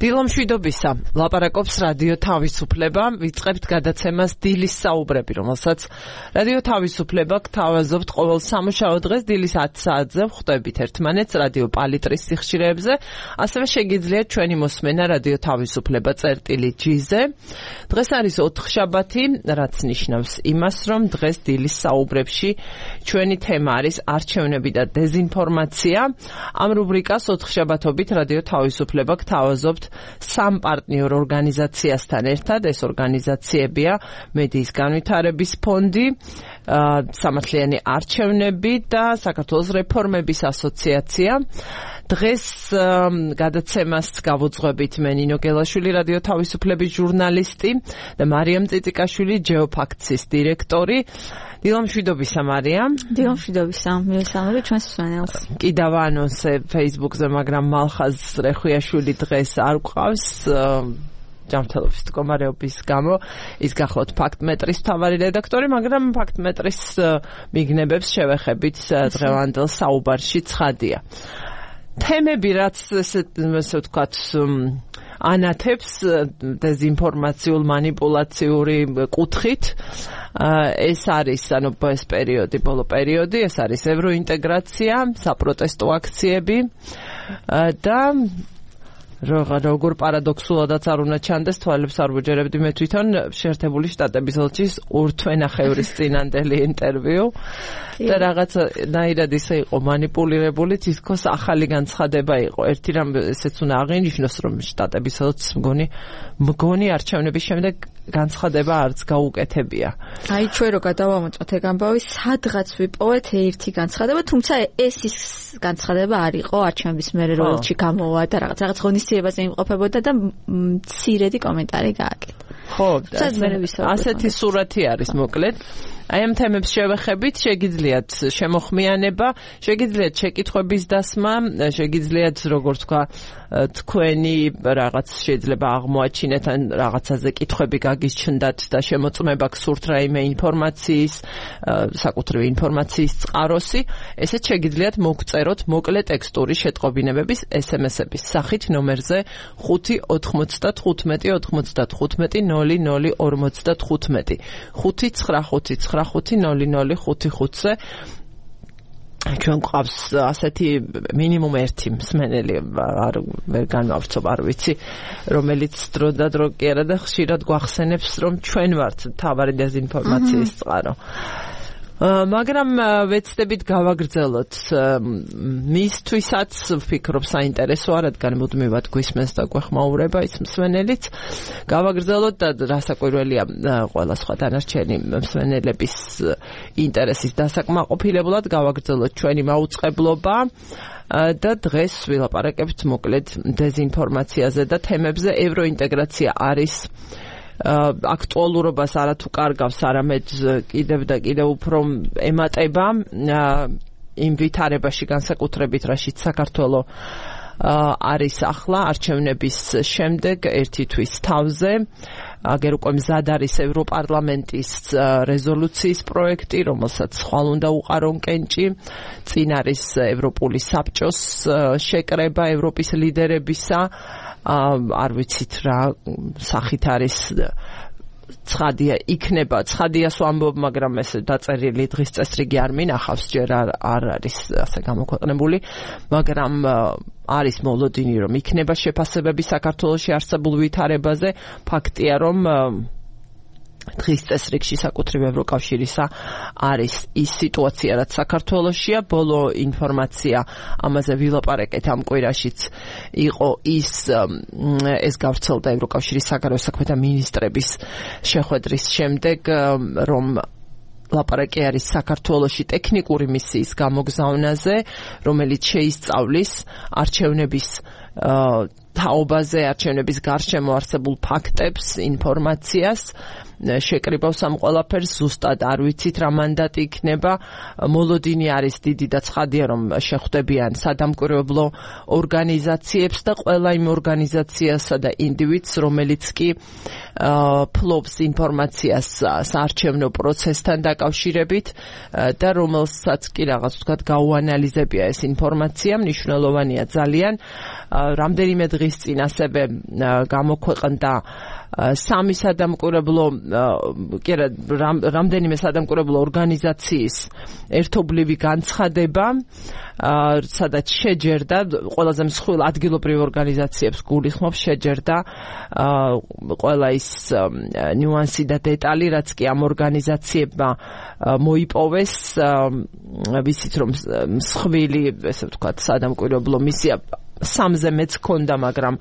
დილომშვიდობისა, ლაპარაკობს რადიო თავისუფლება, ვიწყებთ გადაცემას დილის საუბრები, რომელსაც რადიო თავისუფლება გთავაზობთ ყოველ სამუშაო დღეს დილის 10 საათზე ვხვდებით ერთმანეთს რადიო პალიტრის სიხშირეებზე, ასევე შეგიძლიათ ჩვენი მოსმენა რადიო თავისუფლება წერტილი-G-ზე. დღეს არის ოთხშაბათი, რაც ნიშნავს იმას, რომ დღეს დილის საუბრებში ჩვენი თემა არის არჩევნები და დეზინფორმაცია. ამ რუბრიკას ოთხშაბათობით რადიო თავისუფლება გთავაზობთ სამ პარტნიორ ორგანიზაციასთან ერთად. ეს ორგანიზაციებია მედიის განვითარების ფონდი, სამართლიანი არჩევნები და საქართველოს რეფორმების ასოციაცია. დღეს გადაცემას გავუძღვებით მე ნინო გელაშვილი, რადიო თავისუფლების ჟურნალისტი და მარიამ წიწიკაშვილი, ჯეოფაქტსის დირექტორი. დილომშვიდობისა, მარიამ. დილომშვიდობისა, მივესალმები ჩვენს მსმენელს. კიდევ ანონსე Facebook-ზე, მაგრამ მალხაზ რეხვიაშვილი დღეს არ გვყავს ჯანმრთელობის მდგომარეობის გამო. ის გახლავთ ფაქტმეტრის მთავარი რედაქტორი, მაგრამ ფაქტმეტრის მიგნებებს შევეხებით დღევანდელ საუბარში ცხადია. თემები, რაც ესე ვთქვათ, ანათებს დეზინფორმაციულ მანიპულაციური კუთხით, ეს არის ეს პერიოდი, ბოლო პერიოდი, ეს არის ევროინტეგრაცია, საპროტესტო აქციები და როგორ პარადოქსულადაც არ უნდა ჩანდეს, თვალებს არ ვუჯერებდი მე თვითონ შეერთებული შტატების ელჩის ურთვენახევრის წინანდელი ინტერვიუ და რაღაცნაირად ისე იყო მანიპულირებული, თითქოს ახალი განცხადება იყო. ერთი რამ ესეც უნდა აღინიშნოს, რომ შტატების ელჩის მგონი არჩევნების შემდეგ განცხადება არც გაუკეთებია. აი ჩვენ რო გადავამოწმოთ ეგ ამბავი, სადღაც ვიპოვეთ ერთი განცხადება, თუმცა ეს ის განცხადება არ იყო არჩევნების მერე რო ელჩი გამოვა და რაღაც ღონისძიებაზე იმყოფებოდა და მცირედი კომენტარი გააკეთა. ხო, ასეთი სურათი არის მოკლედ. აი ამ თემებს შევეხებით, შეგიძლიათ შემოხმიანება, შეგიძლიათ შეკითხვების დასმა, შეგიძლიათ როგორ თქვა თქვენი რაღაც შეიძლება აღმოაჩინეთ ან რაღაცაზე კითხვები გაგიჩნდათ და შემოწმება გსურთ რაიმე ინფორმაციის, საკუთრივი ინფორმაციის წყაროსი, ესეც შეგიძლიათ მოგწეროთ მოკლე ტექსტური შეტყობინებების SMS-ების სახით ნომერზე 595 95 00 55 595-500-555-ზე. ჩვენ გვყავს ასეთი მინიმუმ ერთი მსმენელი, ვერ განვავრცობ, არ ვიცი, რომელიც დრო და დრო კი არა და ხშირად გვახსენებს, რომ ჩვენ ვართ მთავარი დეზინფორმაციის წყარო. მაგრამ ვეცდებით გავაგრძელოთ მისთვისაც ვფიქრობ საინტერესოა, რადგან მუდმივად გვისმენს და გვეხმაურება ის მსმენელიც. გავაგრძელოთ და რასაკვირველია ყველა სხვა დანარჩენი მსმენელების ინტერესის დასაკმაყოფილებლად გავაგრძელოთ ჩვენი მაუწყებლობა და დღეს ვილაპარაკებთ მოკლედ დეზინფორმაციაზე და თემებზე. ევროინტეგრაცია არის აქტუალურობას არათუ კარგავს, არამედ კიდევ და კიდევ უფრო ემატება იმ ვითარებაში განსაკუთრებით, რაშიც საქართველო არის ახლა არჩევნების შემდეგ ერთი თვის თავზე. აგერ უკვე მზად არის ევროპარლამენტის რეზოლუციის პროექტი, რომელსაც ხვალ უნდა უყარონ კენჭი. წინ არის ევროპული საბჭოს შეკრება ევროპის ლიდერებისა. არ ვიცით რა სახით არის ცხადია იქნება, ცხადიას ვამბობ, მაგრამ ეს დაწერილი დღის წესრიგი არ მინახავს, ჯერ არ არის ასე გამოქვეყნებული, მაგრამ არის მოლოდინი, რომ იქნება შეფასებები საქართველოში არსებულ ვითარებაზე. ფაქტია, რომ დღის წესრიგში საკუთრივ ევროკავშირისა არის ის სიტუაცია, რაც საქართველოშია. ბოლო ინფორმაცია ამაზე ვილაპარაკეთ ამ კვირაშიც იყო ეს გავრცელდა ევროკავშირის საგარეო საქმეთა მინისტრების შეხვედრის შემდეგ, რომ ლაპარაკი არის საქართველოში ტექნიკური მისიის გამოგზავნაზე, რომელიც შეისწავლის არჩევნების თაობაზე, არჩევნების გარშემო არსებულ ფაქტებს, ინფორმაციას. შეკრიბავს ამ ყველაფერს, ზუსტად არ ვიცით რა მანდატი იქნება. მოლოდინი არის დიდი და ცხადია, რომ შეხვდებიან სადამკვირვებლო ორგანიზაციებს და ყველა იმ ორგანიზაციასა და ინდივიდს, რომელიც კი ფლობს ინფორმაციას საარჩევნო პროცესთან დაკავშირებით და რომელსაც კი რაღაც ვთქვათ გაუანალიზებია ეს ინფორმაცია. მნიშვნელოვანია ძალიან რამდენიმე დღის წინ ასევე გამოქვეყნდა სამი სადამკვირვებლო რამდენიმე სადამკვირვებლო ორგანიზაციის ერთობლივი განცხადება, სადაც შეჯერდა ყველაზე მსხვილ ადგილობრივ ორგანიზაციებს გულისხმობს შეჯერდა ყველა ის ნიუანსი და დეტალი, რაც კი ამ ორგანიზაციებმა მოიპოვეს, ვიცით რომ მსხვილი, ესე ვთქვათ, სადამკვირვებლო მისია სამზე მეც ქონდა, მაგრამ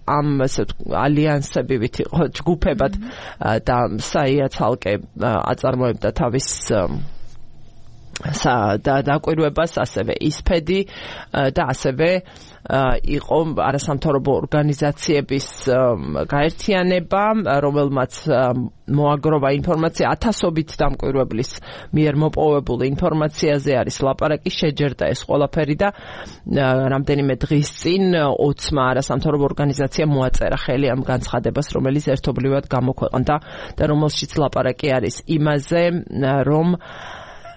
ამ ესე ალიანსებივით იყო ჯგუფებად და საია ცალკე აწარმოებდა თავის დაკვირვებას, ასევე ისფედი და ასევე იყო არასამთავრობო ორგანიზაციების გაერთიანება, რომელმაც მოაგროვა ინფორმაცია ათასობით დამკვირვებლის მიერ მოპოვებული ინფორმაციაზე არის ლაპარაკი, შეჯერდა ეს ყველაფერი და რამდენიმე დღის წინ 20-მა არასამთავრობო ორგანიზაციამ მოაწერა ხელი ამ განცხადებას, რომელიც ერთობლივად გამოქვეყნდა და რომელშიც ლაპარაკი არის იმაზე, რომ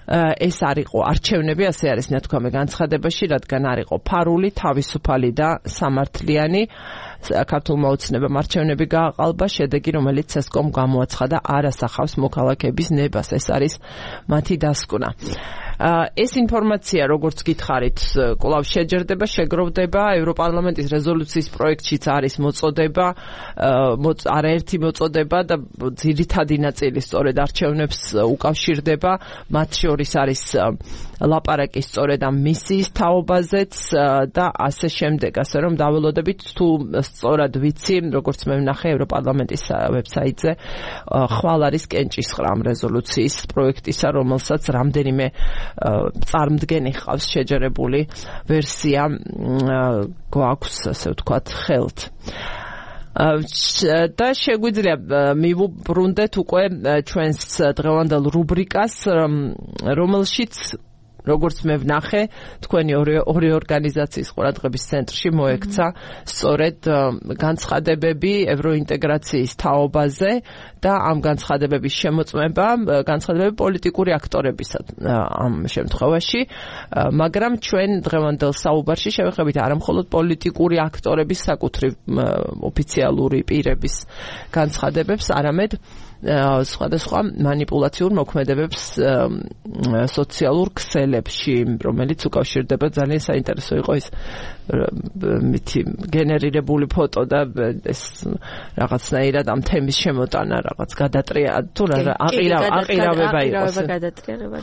ეს არ იყო არჩევნები, ასე არის ნათქვამი განცხადებაში, რადგან არ იყო ფარული, თავისუფალი და სამართლიანი საქართველოს ოცნებამ არჩევნები გააყალბა, შედეგი, რომელიც CSKOM გამოაცხადა, არ ასახავს მოქალაქეების ნებას. ეს არის მათი დასკვნა. ეს ინფორმაცია, როგორც გითხარით, კვლავ შეჯერდება, შეგროვდება, ევროპარლამენტის რეზოლუციის პროექტშიც არის მოწოდება, არაერთი მოწოდება და ძირითადი ნაწილი სწორედ არჩევნებს უკავშირდება, მათ შორის არის ლაპარაკი სწორედ ამ მისიის თაობაზეც და ასე შემდეგ, ასე რომ დაველოდებით თუ სწორად ვიცი, როგორც მე ვნახე ევროპარლამენტის ვებსაიტზე, ხვალ არის კენჭისყრა ამ რეზოლუციის პროექტისა, რომელსაც რამდენიმე წარმდგენი ხავს შეჯერებული ვერსია გვაქვს, ასე ვთქვათ, ხელთ. და შეგვიძლია მივუბრუნდეთ უკვე ჩვენს დღევანდელ რუბრიკას, რომელშიც როგორც მე ვნახე, თქვენი ორი ორგანიზაციის ყურადღების ცენტრში მოექცა სწორედ განცხადებები ევროინტეგრაციის თაობაზე და ამ განცხადებების შემოწმება, განცხადებები პოლიტიკური აქტორებისა ამ შემთხვევაში, მაგრამ ჩვენ დღევანდელ საუბარში შევეხებით არა მხოლოდ პოლიტიკური აქტორების საკუთრივ ოფიციალური პირების განცხადებებს, არამედ სხვადასხვა მანიპულაციურ მოქმედებებს სოციალურ ქსელებში, რომელიც უკავშირდება ძალიან საინტერესო იყო ის მითი გენერირებული ფოტო და ეს რაღაცნაირად ამ თემის შემოტანა, რაღაც გადატრია თუ აყირავება იყოს.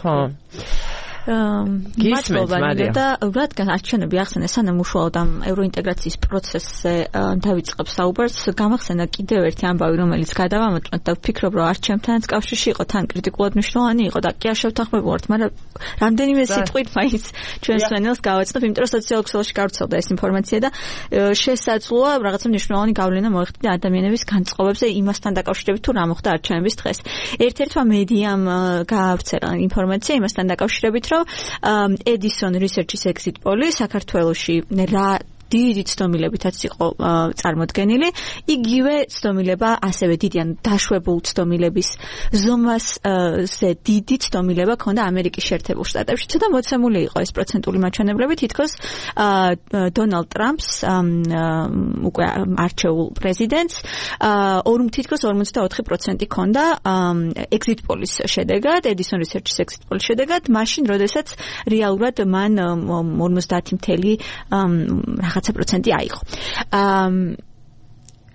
ხო. მადლობა და რადგან არჩევნები ახსენე სანამ უშუალოდ ამ ევროინტეგრაციის პროცესზე დავიწყებ საუბარს, გამახსენდა კიდევ ერთი ამბავი, რომელიც გადავამოწმოთ და ვფიქრობ, რომ არჩევნებთან კავშირში იყო, თან კრიტიკულად მნიშვნელოვანი იყო და კი არ შევთანხმებულობთ, მაგრამ რამდენიმე სიტყვით მაინც ჩვენს მენელს გავაცხადებ, იმიტომ რომ სოციალურ ქსელში გავრცელდა ეს ინფორმაცია და შესაძლოა რაღაცა მნიშვნელოვანი გავლენა მოეხდინა ადამიანების განწყობებზე იმასთან დაკავშირებით, თუ რა მოხდა არჩევნების დღეს. ერთ-ერთმა მედიამ გაავრცელა ინფორმაცია იმასთან დაკავშირებით, Edison Research-ის exit poll-ი საქართველოში რა დიდი ცდომილებითაც იყო წარმოდგენილი. იგივე ცდომილება ასევე დიდი ან დაშვებულ ცდომილების ზომასზე დიდი ცდომილება ქონდა ამერიკის შეერთებულ შტატებში. ცოტა მოცემული იყო ეს პროცენტული მაჩვენებლები, თითქოს დონალდ ტრამპს უკვე არჩეულ პრეზიდენტს თითქოს 44% ქონდა exit poll-ის შედეგად, Edison Research-ის exit poll-ის შედეგად, მაშინ როდესაც რეალურად მან 50 პროცენტი აიღო.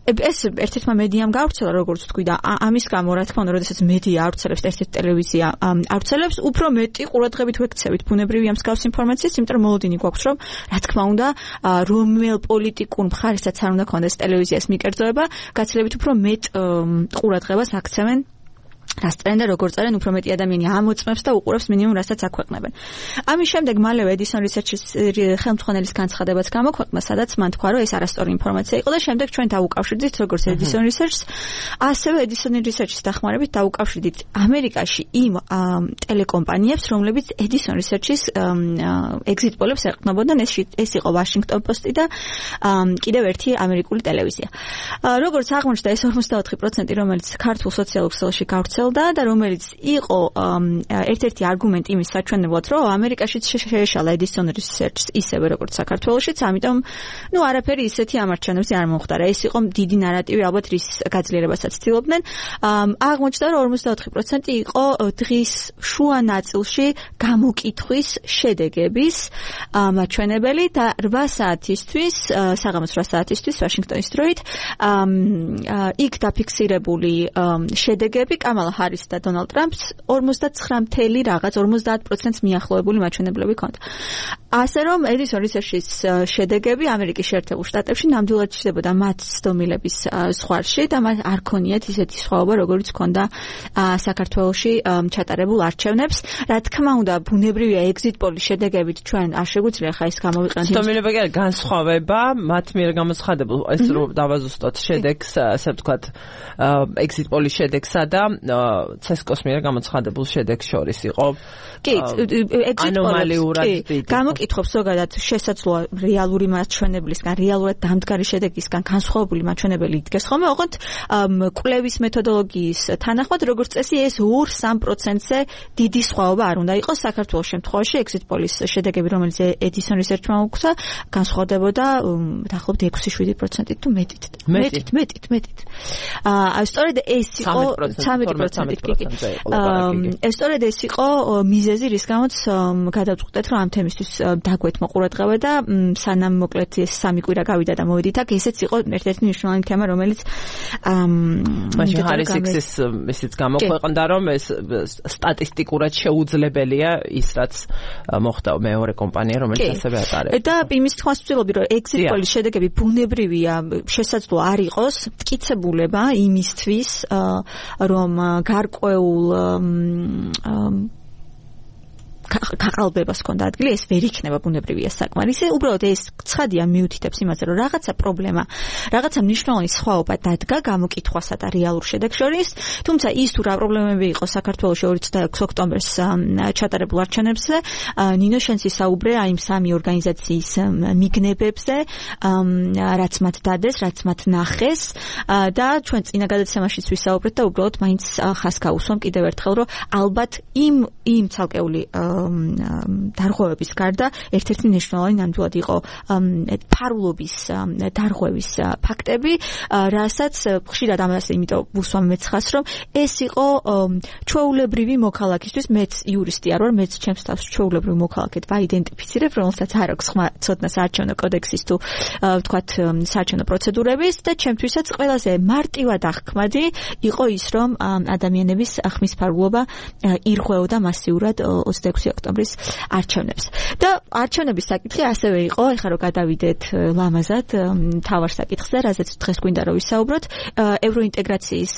ეს ერთ-ერთმა მედიამ გავრცელა, როგორც თქვი და ამის გამო, რა თქმა უნდა, როდესაც მედია ავრცელებს, ერთ-ერთი ტელევიზია ავრცელებს, უფრო მეტი ყურადღებით ვექცევით ბუნებრივია მსგავს ინფორმაციას, იმიტომ რომ მოლოდინი გვაქვს, რომ რა თქმა უნდა, რომელ პოლიტიკურ მხარესაც არ უნდა ქონდეს ტელევიზიას მიკერძოება, გაცილებით უფრო მეტ ყურადღებას აქცევენ რას წერენ და როგორ წერენ, უფრო მეტი ადამიანი ამოწმებს და უყურებს მინიმუმ რასაც აქვეყნებენ. ამის შემდეგ მალევე Edison Research-ის ხელმძღვანელის განცხადებაც გამოქვეყნა, სადაც მან თქვა, რომ ეს არასწორი ინფორმაცია იყო და შემდეგ ჩვენ დავუკავშირდით როგორც Edison Research-ს, ასევე Edison Research-ის დახმარებით დავუკავშირდით ამერიკაში იმ ტელეკომპანიებს, რომლებიც Edison Research-ის exit poll-ებს ეყრდნობოდნენ, ეს იყო Washington Post-ი და კიდევ ერთი ამერიკული ტელევიზია. როგორც აღმოჩნდა, ეს 44%, რომელიც ქართულ სოციალურ ქსელში გავრცელდა, გაგრძელდა და რომელიც იყო ერთ-ერთი არგუმენტი იმის საჩვენებლად, რომ ამერიკაშიც შეეშალა Edison Research ისევე როგორც საქართველოშიც, ამიტომ არაფერი ისეთი ამ არჩევნებზე არ მომხდარა. ეს იყო დიდი ნარატივი, ალბათ რის გაძლიერებასაც ცდილობდნენ. აღმოჩნდა, რომ 44% იყო დღის შუა ნაწილში გამოკითხვის შედეგების მაჩვენებელი და 8 საათისთვის, საღამოს 8 საათისთვის ვაშინგტონის დროით იქ დაფიქსირებული შედეგები კამალა ჰარის და დონალდ ტრამპს 50% მიახლოებული მაჩვენებლები ჰქონდა. ასე რომ Edison Research-ის შედეგები ამერიკის შეერთებულ შტატებში ნამდვილად ჩნდებოდა მათ ცდომილების ზღვარში და მათ არ ქონიათ ისეთი სხვაობა, როგორც ჰქონდა საქართველოში ჩატარებულ არჩევნებს. რა თქმა უნდა, ბუნებრივია exit poll-ის შედეგებით ჩვენ არ შეგვიძლია ხა ეს გამოვიყენოთ. ცდომილება კი განსხვავება მათ მიერ გამოცხადებულ ეს რომ დავაზუსტოთ შედეგს, ასე ვთქვათ, exit poll-ის შედეგსა და CESCO-s მიერ გამოცხადებულ შედეგს შორის იყო. კი, exit poll-ი გამოკითხობს ზოგადად შესაძლოა რეალური მაჩვენებლისგან, რეალურად დამდგარი შედეგისგან განსხვავებული მაჩვენებელი იდგეს ხოლმე, ოღონდ კვლევის მეთოდოლოგიის თანახმად, როგორც წესი, ეს 2-3%-ზე დიდი სხვაობა არ უნდა იყოს. საქართველოს შემთხვევაში exit poll-ის შედეგები, რომელიც Edison Research-მა უქცა, განსხვავდებოდა დაახლოებით 6-7%-ით თუ მეტით. მეტით. სწორედ ეს იყო 13%. სწორედ ეს იყო მიზეზი, რის გამოც გადავწყვეტეთ, რომ ამ თემისთვის დაგვეთმო ყურადღება და სანამ მოკლედ ეს 3 კვირა გავიდა და მოვედით აქ, ესეც იყო ერთ-ერთი მნიშვნელოვანი თემა, რომელიც მაშინ ჰარის ექსის ისიც გამოქვეყნდა, რომ ეს სტატისტიკურად შეუძლებელია ის, რაც მოხდა მეორე კომპანია, რომელიც ასევე ატარებს. და იმის თქმას ვცდილობდი, რომ exit poll-ის შედეგები ბუნებრივია, შესაძლოა არ იყოს მტკიცებულება იმისთვის, რომ გარკვეულ გაყალბებას ჰქონდა ადგილი, ეს ვერ იქნება ბუნებრივია საკმარისი. უბრალოდ ეს ცხადია მიუთითებს იმაზე, რომ რაღაცა პრობლემა, რაღაცა მნიშვნელოვანი სხვაობა დადგა გამოკითხვასა და რეალურ შედეგს შორის. თუმცა ის თუ რა პრობლემები იყო საქართველოში 26 ოქტომბერს ჩატარებულ არჩევნებზე, ნინო შენსი საუბრა იმ 3 ორგანიზაციის მიგნებებზე, რაც მათ დადეს, რაც მათ ნახეს და ჩვენ წინა გადაცემაშიც ვისაუბრეთ და უბრალოდ მაინც ხას გავუსვამ კიდევ ერთხელ, რომ ალბათ იმ ცალკეული დარღვევების გარდა ერთ-ერთი მნიშვნელოვანი ნამდვილად იყო ფარულობის დარღვევის ფაქტები, რასაც ხშირად ამას იმიტომ ვუსვამ მეც ხას, რომ ეს იყო ჩვეულებრივი მოქალაქისთვის, მეც იურისტი არ ვარ, მეც ჩემს თავს ჩვეულებრივ მოქალაქედ ვაიდენტიფიცირებ, რომელსაც არ აქვს ხმა ცოდნა საარჩევნო კოდექსის თუ ვთქვათ საარჩევნო პროცედურების და ჩემთვისაც ყველაზე მარტივად აღქმადი იყო ის, რომ ადამიანების ხმის ფარულობა ირღვეოდა მასიურად 26 ოქტომბრის არჩევნებს. და არჩევნების საკითხი ასევე იყო, ეხლა რომ გადავიდეთ ლამაზად თავარ საკითხზე, რაზეც დღეს გვინდა რომ ვისაუბროთ, ევროინტეგრაციის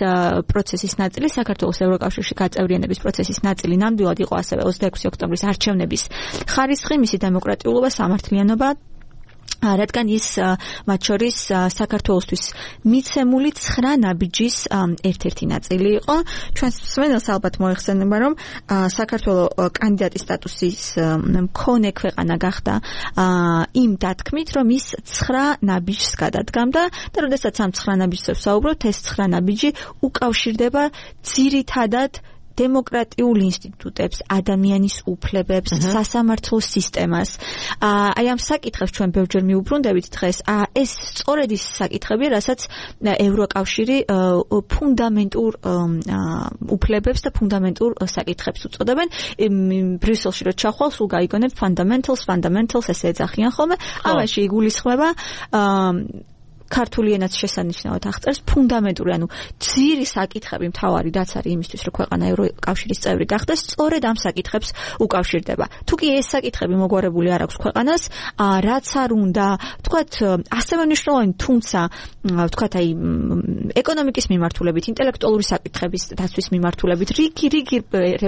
პროცესის ნაწილი, საქართველოს ევროკავშირში გაწევრიანების პროცესის ნაწილი ნამდვილად იყო ასევე 26 ოქტომბრის არჩევნების ხარისხი, მისი დემოკრატიულობა, სამართლიანობა, რადგან ის მათ შორის საქართველოსთვის მიცემული 9 ნაბიჯის ერთ-ერთი ნაწილი იყო. ჩვენ სვენელს ალბათ მოიხსენება, რომ საქართველო კანდიდატის სტატუსის მქონე ქვეყანა გახდა იმ დათქმით, რომ ის 9 ნაბიჯს გადადგამდა და როდესაც ამ 9 ნაბიჯზე ვსაუბრობთ, ეს 9 ნაბიჯი უკავშირდება ძირითადად დემოკრატიულ ინსტიტუტებს, ადამიანის უფლებებს, სასამართლო სისტემას. აი ამ საკითხებს ჩვენ ბევრჯერ მიუბრუნდებით დღეს. ეს სწორედ ის საკითხებია, რასაც ევროკავშირი ფუნდამენტურ უფლებებს და ფუნდამენტურ საკითხებს უწოდებენ. ბრიუსელში რო ჩახვალ, სულ გაიგონებ fundamentals ესე ეძახიან ხოლმე. ამაში იგულისხმება ქართული ენაც შესანიშნავად აღწერს ფუნდამენტური, ანუ ძირი საკითხები მთავარი რაც არის იმისთვის, რომ ქვეყანა ევროკავშირის წევრი გახდეს, სწორედ ამ საკითხებს უკავშირდება. თუ კი ეს საკითხები მოგვარებული არ აქვს ქვეყანას, რაც არ უნდა, ვთქვათ, ასევე მნიშვნელოვანი, თუმცა ვთქვათ, აი ეკონომიკის მიმართულებით, ინტელექტუალური საკითხების დაცვის მიმართულებით, რიგი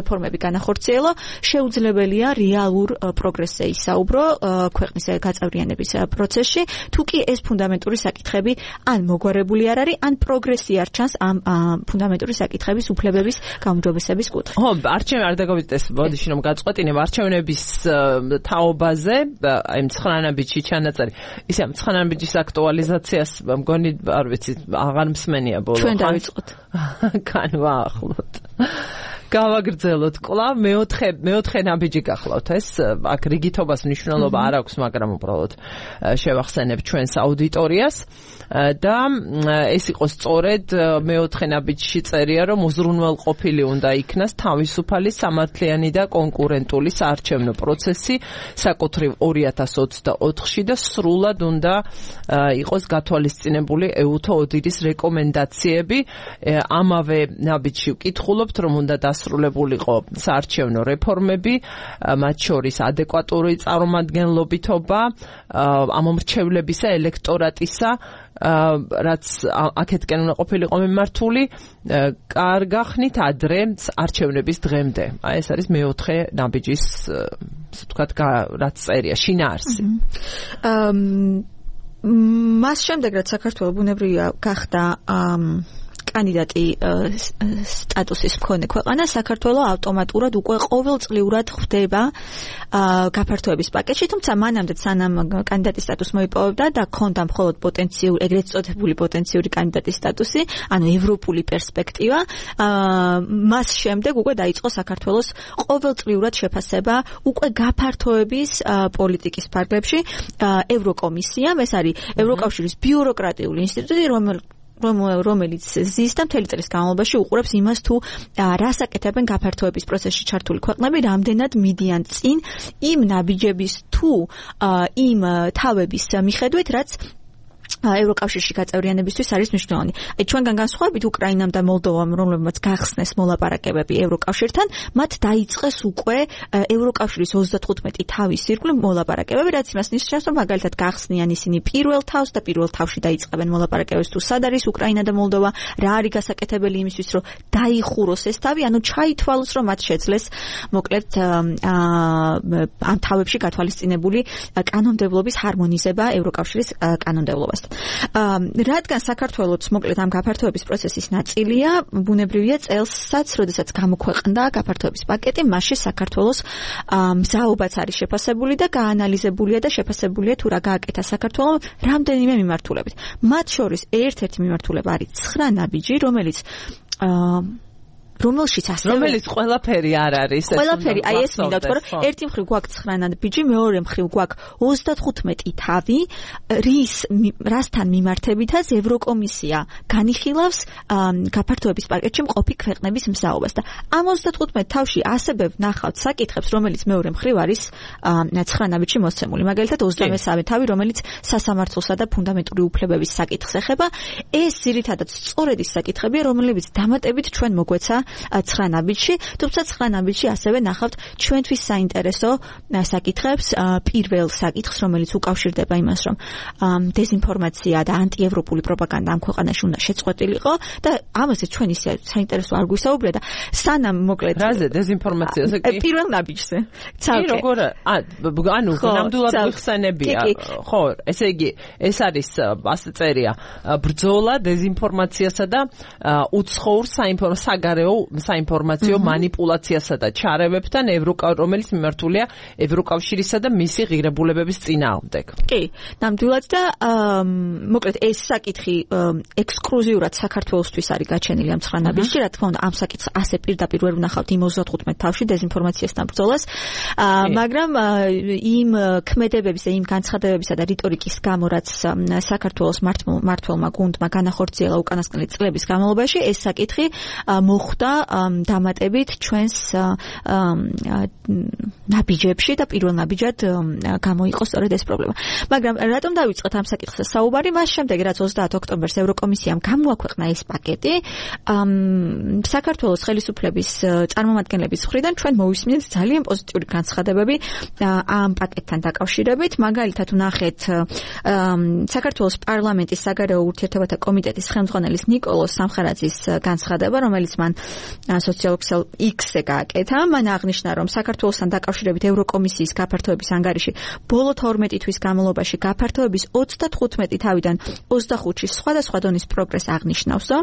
რეფორმები განახორციელა, შეუძლებელია რეალურ პროგრესზე ისაუბრო ქვეყნის გაწევრიანების პროცესში, თუ კი ეს ფუნდამენტური საკითხები ან მოგვარებული არ არის, ან პროგრესი არ ჩანს ამ ფუნდამენტური საკითხების უფლებების გაუმჯობესების კუთხით. ხო, არჩევნები არ დაგავიწყდეს, ბოდიში რომ გაწყვეტინებ არჩევნების თაობაზე, აი 9 ნაბიჯი ჩანაწერი. ისე ამ 9 ნაბიჯის აქტუალიზაციას მგონი არ ვიცი, აღარ მსმენია ბოლო. ჩვენ დავიწყოთ. კან ვაახლოთ. გავაგრძელოთ კვლავ მეოთხე ნაბიჯი გახლავთ ეს აქ რიგითობას მნიშვნელობა არ აქვს მაგრამ უბრალოდ შევახსენებ ჩვენს აუდიტორიას და ეს იყო სწორედ მეოთხე ნაბიჯში წერია რომ უზრუნველყოფილი უნდა იქნას თავისუფალი სამართლიანი და კონკურენტული საარჩევნო პროცესი საკუთრივ 2024-ში და სრულად უნდა იყოს გათვალისწინებული EUTO ODIHR-ის რეკომენდაციები ამავე ნაბიჯში ვკითხულობთ რომ უნდა დასრულებულიყო საარჩევნო რეფორმები მათ შორის ადეკვატური წარმომადგენლობითობა ამომრჩევლებისა ელექტორატისა რაც აქეთკენ უნდა ყოფილიყო მიმართული კარგახნით ადრე არჩევნების დღემდე. აი ეს არის მეოთხე ნაბიჯის ასე ვთქვათ რაც წერია შინაარსი. მას შემდეგ რაც საქართველოს ბუნებრივია გახდა კანდიდატი სტატუსის მქონე ქვეყანა საქართველოს ავტომატურად უკვე ყოველწლიურად ხვდება გაფართოების პაკეტში, თუმცა მანამდე სანამ კანდიდატის სტატუსს მოიპოვებდა და ქონდა მხოლოდ პოტენციური, ეგრეთ წოდებული პოტენციური კანდიდატის სტატუსი, ანუ ევროპული პერსპექტივა, მას შემდეგ უკვე დაიწყო საქართველოს ყოველწლიურად შეფასება უკვე გაფართოების პოლიტიკის ფარგლებში ევროკომისიამ, ეს არის ევროკავშირის ბიუროკრატიული ინსტიტუტი, რომელიც ზის და მთელი წლის განმავლობაში უყურებს იმას თუ რას აკეთებენ გაფართოების პროცესში ჩართული ქვეყნები, რამდენად მიდიან წინ იმ ნაბიჯების თუ იმ თავების მიხედვით, რაც ევროკავშირში გაწევრიანებისთვის არის მნიშვნელოვანი. აი ჩვენგან განსხვავებით უკრაინამ და მოლდოვამ, რომლებმაც გახსნეს მოლაპარაკებები ევროკავშირთან, მათ დაიწყეს უკვე ევროკავშირის 35 თავის ირგვლივ მოლაპარაკებები, რაც იმას ნიშნავს, რომ მაგალითად გახსნიან ისინი პირველ თავს და პირველ თავში დაიწყებენ მოლაპარაკებებს თუ სად არის უკრაინა და მოლდოვა, რა არის გასაკეთებელი იმისთვის, რომ დაიხუროს ეს თავი, ანუ ჩაითვალოს, რომ მათ შეძლეს მოკლედ ამ თავებში გათვალისწინებული კანონმდებლობის ჰარმონიზება ევროკავშირის კანონმდებლობასთან. რადგან საქართველოს მოკლედ ამ გაფართოების პროცესის ნაწილია, ბუნებრივია წელსაც, როდესაც გამოქვეყნდა გაფართოების პაკეტი, მასში საქართველოს მზაობაც არის შეფასებული და გაანალიზებულია და შეფასებულია თუ რა გააკეთა საქართველოს რამდენიმე მიმართულებით. მათ შორის ერთ-ერთი მიმართულება არის 9 ნაბიჯი, რომელშიც ასევე რომელიც ყველაფერი არ არის ყველაფერი აი ეს მინდა თქვა რომ ერთი მხრივ გვაქვს 9 ნაბიჯი, მეორე მხრივ გვაქვს 35 თავი, რასთან მიმართებითაც ევროკომისია განიხილავს გაფართოების პაკეტში მყოფი ქვეყნების მსაობას და ამ 35 თავში ასევე ვნახავთ საკითხებს, რომელიც მეორე მხრივ არის 9 ნაბიჯში მოსცემული. მაგალითად 23 თავი, რომელიც სასამართლოსა და ფუნდამენტური უფლებების საკითხს ეხება, ეს ძირითადად სწორედ ის საკითხებია, რომლებიც დამატებით ჩვენ მოგვეცა 9 ნაბიჯში, თუმცა 9 ნაბიჯში ასევე ნახავთ ჩვენთვის საინტერესო საკითხებს, პირველ საკითხს, რომელიც უკავშირდება იმას, რომ დეზინფორმაცია და ანტიევროპული პროპაგანდა ამ ქვეყანაში უნდა შეწყვეტილიყო და ამაზე ჩვენ ისე საინტერესო არ გვისაუბრია და სანამ მოკლედ რაზე დეზინფორმაციაზე კი პირველ ნაბიჯზე. კი როგორ ანუ ნამდვილად ვიხსენებია. ხო, ესე იგი ეს არის ასე წერია ბრძოლა დეზინფორმაციასა და უცხოურ საგარეო საინფორმაციო მანიპულაციასა და ჩარევებთან, რომელიც მიმართულია ევროკავშირისა და მისი ღირებულებების წინააღმდეგ. კი, ნამდვილად და მოკლედ ეს საკითხი ექსკლუზიურად საქართველოსთვის არის გაჩენილი ამ 9 ნაბიჯში, რა თქმა უნდა, ამ საკითხს ასე პირდაპირ ვერ ვნახავთ იმ 35 თავში დეზინფორმაციასთან ბრძოლას, მაგრამ იმ ქმედებების და იმ განცხადებებისა და რიტორიკის გამო, რაც საქართველოს მმართველმა გუნდმა განახორციელა უკანასკნელი წლების განმავლობაში, ეს საკითხი მოხვდა დამატებით ჩვენს ნაბიჯებში და პირველ ნაბიჯად გამოიყო სწორედ ეს პრობლემა. მაგრამ რატომ დავიწყეთ ამ საკითხზე საუბარი? მას შემდეგ, რაც 30 ოქტომბერს ევროკომისიამ გამოაქვეყნა ეს პაკეტი, საქართველოს ხელისუფლების წარმომადგენლების მხრიდან ჩვენ მოვისმინეთ ძალიან პოზიტიური განცხადებები ამ პაკეტთან დაკავშირებით. მაგალითად, ვნახეთ საქართველოს პარლამენტის საგარეო ურთიერთობათა კომიტეტის ხელმძღვანელის ნიკოლოზ სამხარაძის განცხადება, რომელიც მან სოციალურ ქსელ X-ზე გააკეთა. მან აღნიშნა, რომ საქართველოსთან დაკავშირებით ევროკომისიის გაფართოების ანგარიში ბოლო 12 თვის განმავლობაში გაფართოების 35 თავიდან 25-ში სხვადასხვა დონის პროგრესს აღნიშნავსო.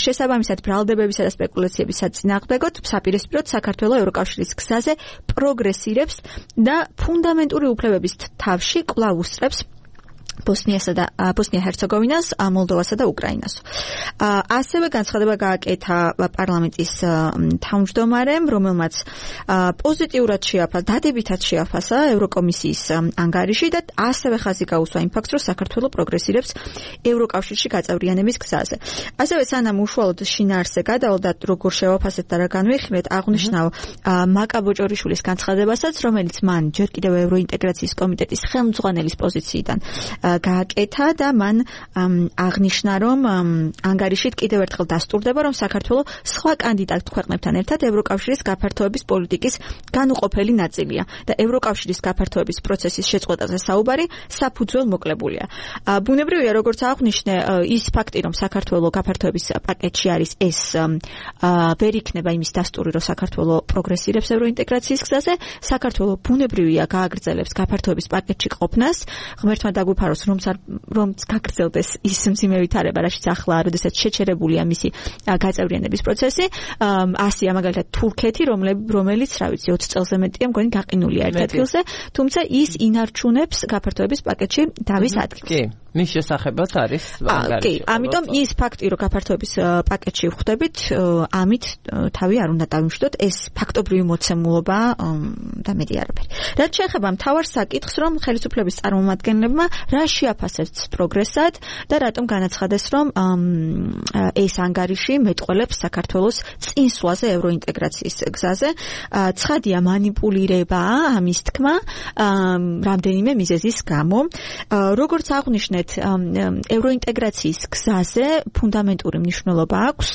შესაბამისად, ბრალდებებისა და სპეკულაციების საწინააღმდეგოდ საპირისპიროდ საქართველოს ევროკავშირის გზაზე პროგრესირებს და ფუნდამენტური უფლებების თავში კვლავ უსწრებს ბოსნია-ჰერცეგოვინას, მოლდოვასა და უკრაინას. ასევე განცხადება გააკეთა პარლამენტის თავმჯდომარემ, რომელმაც პოზიტიურად დადებითად შეაფასა ევროკომისიის ანგარიში და ასევე ხაზი გაუსვა იმ ფაქტს, რომ საქართველო პროგრესირებს ევროკავშირში გაწევრიანების გზაზე. ასევე სანამ უშუალოდ შინაარსზე გადავლა, როგორ შევაფასეთ და რა განვიხილეთ, აღნიშნავ მაკა ბოჭორიშვილის განცხადებასაც, რომელიც მან ჯერ კიდევ ევროინტეგრაციის კომიტეტის ხელმძღვანელის პოზიციიდან გააკეთა და მან აღნიშნა, რომ ანგარიშით კიდევ ერთხელ დასტურდება, რომ საქართველო სხვა კანდიდატ ქვეყნებთან ერთად ევროკავშირის გაფართოების პოლიტიკის განუყოფელი ნაწილია და ევროკავშირის გაფართოების პროცესის შეწყვეტაზე საუბარი საფუძველ მოკლებულია. ბუნებრივია, როგორც აღნიშნე, ის ფაქტი, რომ საქართველო გაფართოების პაკეტში არის, ეს ვერ იქნება იმის დასტური, რომ საქართველო პროგრესირებს ევროინტეგრაციის გზაზე. საქართველო ბუნებრივია გააგრძელებს გაფართოების პაკეტში ყოფნას, ღმერთმა დაგვიფაროს, რომ გაგრძელდეს ის მძიმე ვითარება, რაშიც ახლა, როდესაც შეჩერებულია მისი გაწევრიანების პროცესი. ასია მაგალითად თურქეთი, რომელიც, რა ვიცი, 20 წელზე მეტია, მგონი გაყინულია ერთ ადგილზე, თუმცა ის ინარჩუნებს გაფართოების პაკეტში დავის ადგილს. კი, მის შესახებაც არის ანგარიში. კი, ამიტომ ის ფაქტი, რომ გაფართოების პაკეტში ვხვდებით, ამით თავი არ უნდა დავიმშვიდოთ, ეს ფაქტობრივი მოცემულობა და მეტი არაფერი. რაც შეეხება მთავარ საკითხს, რომ ხელისუფლების წარმომადგენლებმა რა შეაფასებს პროგრესად და რატომ განაცხადეს, რომ ეს ანგარიში მეტყველებს საქართველოს წინსვლაზე ევროინტეგრაციის გზაზე. ცხადია მანიპულირებაა ამის თქმა რამდენიმე მიზეზის გამო. როგორც აღნიშნეთ, ევროინტეგრაციის გზაზე ფუნდამენტური მნიშვნელობა აქვს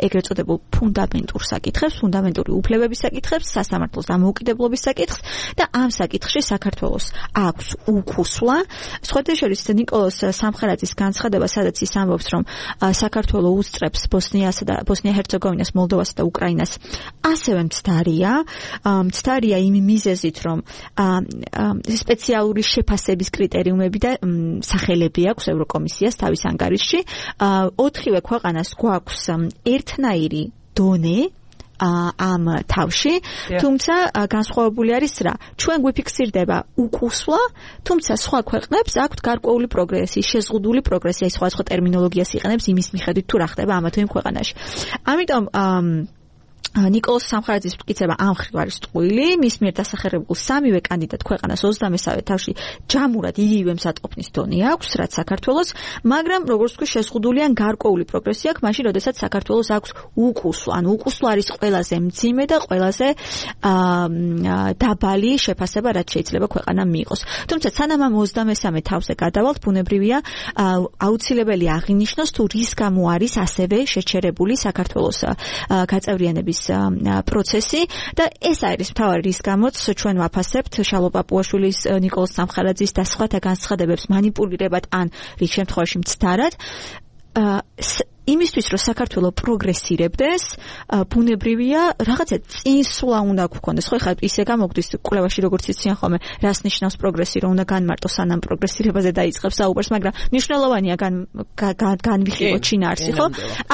ეგრეთ წოდებულ ფუნდამენტურ საკითხებს, ფუნდამენტური უფლებების საკითხებს, სასამართლოს დამოუკიდებლობის საკითხს და ამ საკითხში საქართველოს აქვს უკუსვლა. სხვათა შორის ნიკოლოზ სამხარაძის განცხადება, სადაც ის ამბობს, რომ საქართველო უსწრებს ბოსნია-ჰერცეგოვინას, მოლდოვასა და უკრაინას, ასევე მცდარია იმ მიზეზით, რომ სპეციალური შეფასების კრიტერიუმები და სახელები აქვს ევროკომისიას თავის ანგარიშში. 4-ვე ქვეყანას გვაქვს ერთნაირი დონე ამ თავში, თუმცა განსხვავებული არის რა. ჩვენ გვიფიქსირდება უკუსვლა, თუმცა სხვა ქვეყნებს აქვთ გარკვეული პროგრესი, შეზღუდული პროგრესი, აი სხვა ტერმინოლოგიას იყენებს იმის მიხედვით თუ რა ხდება ამა თუ იმ ქვეყანაში. ამიტომ ნიკოლოზ სამხარაძის მტკიცება ამ მხრივ არის ტყუილი, მის მიერ დასახერებულ სამივე კანდიდატ ქვეყანას 23-ვე თავში ჯამურად იგივე მსატყოფნის დონე აქვს, რაც საქართველოს, მაგრამ როგორც ვთქვი, შეზღუდული ან გარკვეული პროგრესი აქვს, მაშინ, როდესაც საქართველოს აქვს უკუსვლა, ანუ უკუსვლა არის ყველაზე მძიმე და ყველაზე დაბალი შეფასება, რაც შეიძლება ქვეყანამ მიიღოს. თუმცა სანამ ამ 23 თავზე გადავალთ, ბუნებრივია, აუცილებელი აღინიშნოს, თუ რის გამო არის ასევე შეჩერებული საქართველოს გაწევრიანების პროცესი და ეს არის მთავარი რის გამოც ჩვენ ვაფასებთ შალო პაპუაშვილის, ნიკოლოზ სამხარაძის და სხვათა განცხადებებს მანიპულირებად ან რიგ შემთხვევაში მცდარად. იმისთვის, რომ საქართველო პროგრესირებდეს, ბუნებრივია, რაღაცა წინსვლა უნდა გვქონდეს. ხო, ხა ისე გამოგვდის კვლევაში, როგორც იციან ხოლმე, რას ნიშნავს პროგრესი, რომ უნდა განმარტოს სანამ პროგრესირებაზე დაიწყებს საუბარს, მაგრამ მნიშვნელოვანია განვიხილოთ შინაარსი, ხო?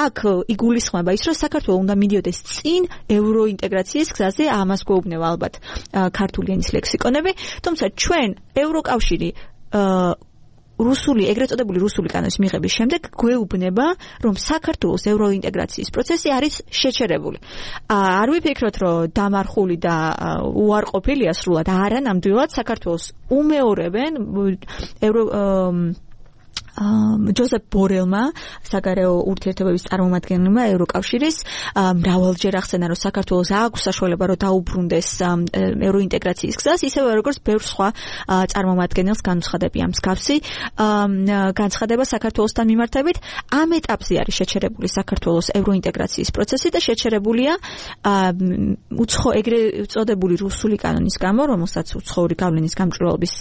აქ იგულისხმება ის, რომ საქართველო უნდა მიდიოდეს წინ ევროინტეგრაციის გზაზე, ამას გვეუბნება ალბათ ქართული ენის ლექსიკონები, თუმცა ჩვენ ევროკავშირი ეგრეთ წოდებული რუსული კანონის მიღების შემდეგ გვეუბნება, რომ საქართველოს ევროინტეგრაციის პროცესი არის შეჩერებული. არ ვიფიქროთ, რომ დამარხული და უარყოფილია სრულად, არა, ნამდვილად საქართველოს უმეორებენ ჯოზეფ ბორელმა, საგარეო ურთიერთობების წარმომადგენელმა ევროკავშირის, მრავალჯერ ახსენა, რომ საქართველოს აქვს საშუალება, რომ დაუბრუნდეს ევროინტეგრაციის გზას, ისევე როგორც ბევრ სხვა წარმომადგენელს განუცხადებია მსგავსი განცხადება საქართველოსთან მიმართებით. ამ ეტაპზე არის შეჩერებული საქართველოს ევროინტეგრაციის პროცესი და შეჩერებულია ეგრეთ წოდებული რუსული კანონის გამო, რომელსაც უცხოური გავლენის გამჭვირვალობის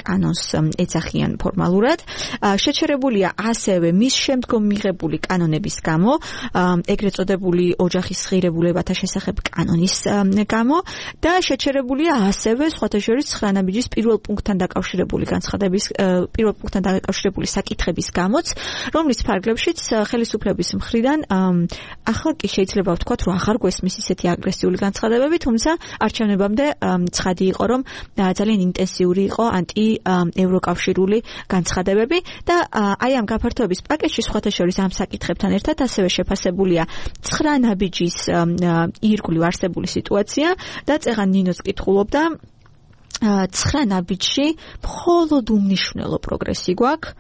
კანონს ეძახიან ფორმალურად. შეჩერებულია ასევე მის შემდგომ მიღებული კანონების გამო, ეგრეთ წოდებული ოჯახის ღირებულებათა შესახებ კანონის გამო და შეჩერებულია ასევე სხვათა შორის ცხრანაბიჯის პირველ პუნქტთან დაკავშირებული საკითხების გამოც, რომლის ფარგლებშიც ხელისუფლების მხრიდან ახლა კი შეიძლება ვთქვათ, რომ აღარ გვესმის ისეთი აგრესიული განცხადებები, თუმცა არჩევნებამდე ცხადი იყო, რომ ძალიან ინტენსიური იყო ანტი-ევროკავშირული განცხადებები და აი ამ გაფართოების პაკეტში სხვათა შორის ამ საკითხებთან ერთად ასევე შეფასებულია ცხრანაბიჯის ირგვლივ არსებული სიტუაცია და წეღან ნინოც კითხულობდა ცხრანაბიჯში მხოლოდ უმნიშვნელო პროგრესი გვაქვს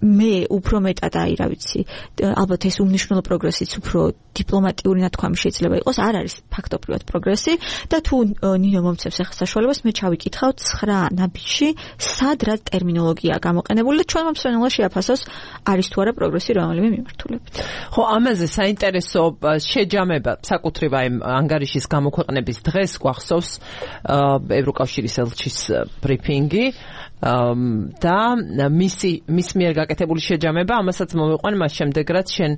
მე უფრო მეტად რა ვიცი ალბათ ეს უმნიშვნელო პროგრესიც უფრო დიპლომატიური ნათქვამი შეიძლება იყოს არ არის ფაქტობრივად პროგრესი და თუ ნინო მომცემს ახლა საშუალებას მე ჩავიკითხავ 9 ნაბიჯში სად რა ტერმინოლოგია გამოყენებული და ჩვენმა მსმენელმა შეაფასოს არის თუ არა პროგრესი რომელიმე მიმართულებით. ხო, ამაზე საინტერესო შეჯამება საკუთრივ აი ანგარიშის გამოქვეყნების დღეს გვახსოვს ევროკავშირის ელჩის ბრიფინგი და მის მიერ გაკეთებული შეჯამება, ამასაც მოვიყვან მას შემდეგ, რაც შენ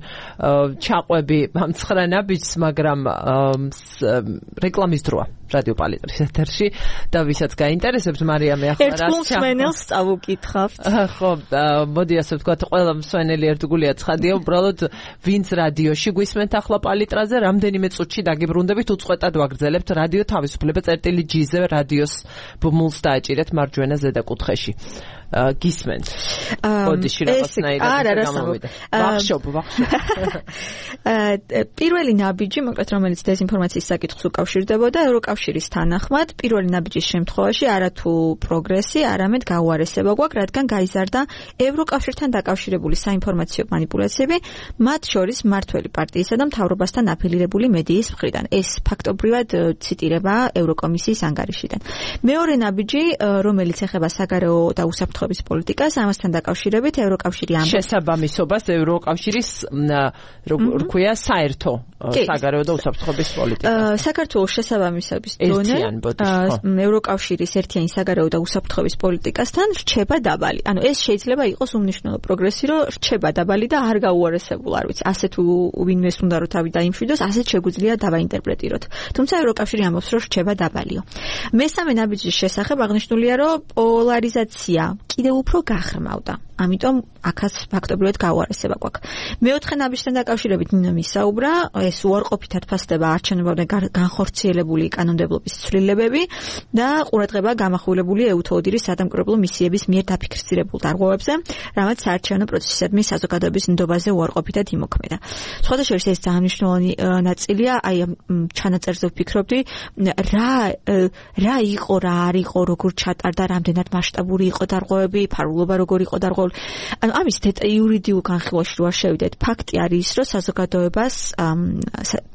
ჩაყვები ამ 9 ნაბიჯს, მაგრამ რეკლამის დროა რადიო პალიტრის ეთერში და ვისაც გაინტერესებთ, მარიამე ახლა რა ერთ მსმენელს წავუკითხავთ. ხო, მოდი ასე ვთქვათ, ყველა მსმენელი ერთგულია ცხადია, უბრალოდ ვინც რადიოში გვისმენთ ახლა პალიტრაზე, რამდენიმე წუთში დაგიბრუნდებით, უწყვეტად ვაგრძელებთ რადიო თავისუფლება წერტილი-G-ზე რადიოს ბმულს დააჭირეთ მარჯვენა ზედა კუთხეში. გისმენთ. ოდიში რაღაცნაირად გამოვიდა. ვახშობ. პირველი ნაბიჯი, მოკლედ რომელიც დეზინფორმაციის საკითხს უკავშირდებოდა ევროკავშირის თანახმად, პირველი ნაბიჯის შემთხვევაში არათუ პროგრესი, არამედ გაუარესება გვაქვს, რადგან გაიზარდა ევროკავშირთან დაკავშირებული საინფორმაციო манипуляციები, მათ შორის მმართველი პარტიისა და მთავრობასთან აფილირებული მედიის მხრიდან. ეს ფაქტობრივად ციტირება ევროკომისიის ანგარიშიდან. მეორე ნაბიჯი, რომელიც ეხება საგარეო და უსაფრთხოების პოლიტიკას, ამასთან დაკავშირებით ევროკავშირი ამბობს შესაბამისობას ევროკავშირის რქვია საერთო საგარეო და უსაფრთხოების პოლიტიკას. საქართველოს შესაბამისობის დონე ევროკავშირის ერთიანი საგარეო და უსაფრთხოების პოლიტიკასთან რჩება დაბალი. ანუ ეს შეიძლება იყოს უმნიშვნელო პროგრესი, რომ რჩება დაბალი და არ გაუარესებულ, არ ვიცი, ასე თუ ვინმეს უნდა რომ თავი დაიმშვიდოს, ასეც შეგვიძლია დავაინტერპრეტიროთ. თუმცა ევროკავშირი ამბობს, რომ რჩება დაბალიო. მესამე ნაბიჯის შესახებ აღნიშნულია, რომ პოლარიზაცია კიდევ უფრო გახრმავდა. ამიტომ აქაც ფაქტობრივად გაუარესება გვაქვს. მეოთხე ნაბიჯთან დაკავშირებით ნინო მისაუბრა, ეს უარყოფითად ფასდება არჩევნებამდე განხორციელებული კანონმდებლობის ცვლილებები და ყურადღება გამახვილებული EUTODIR-ის სადამკვირვებლო მისიების მიერ დაფიქსირებულ დარღვევებზე, რამაც საარჩევნო პროცესისადმი საზოგადოების ნდობაზე უარყოფითად იმოქმედა. სხვათა შორის ეს ძალიან მნიშვნელოვანი ნაწილია, აი ჩანაწერზე ვფიქრობდი, რა იყო, რა არ იყო, როგორ ჩატარდა, რამდენად მასშტაბური იყო დარღვევები, ფარულობა როგორ იყო დარღვევები. ანუ ამის იურიდიულ განხილვაში რო არ შევიდეთ, ფაქტი არის, რომ საზოგადოებას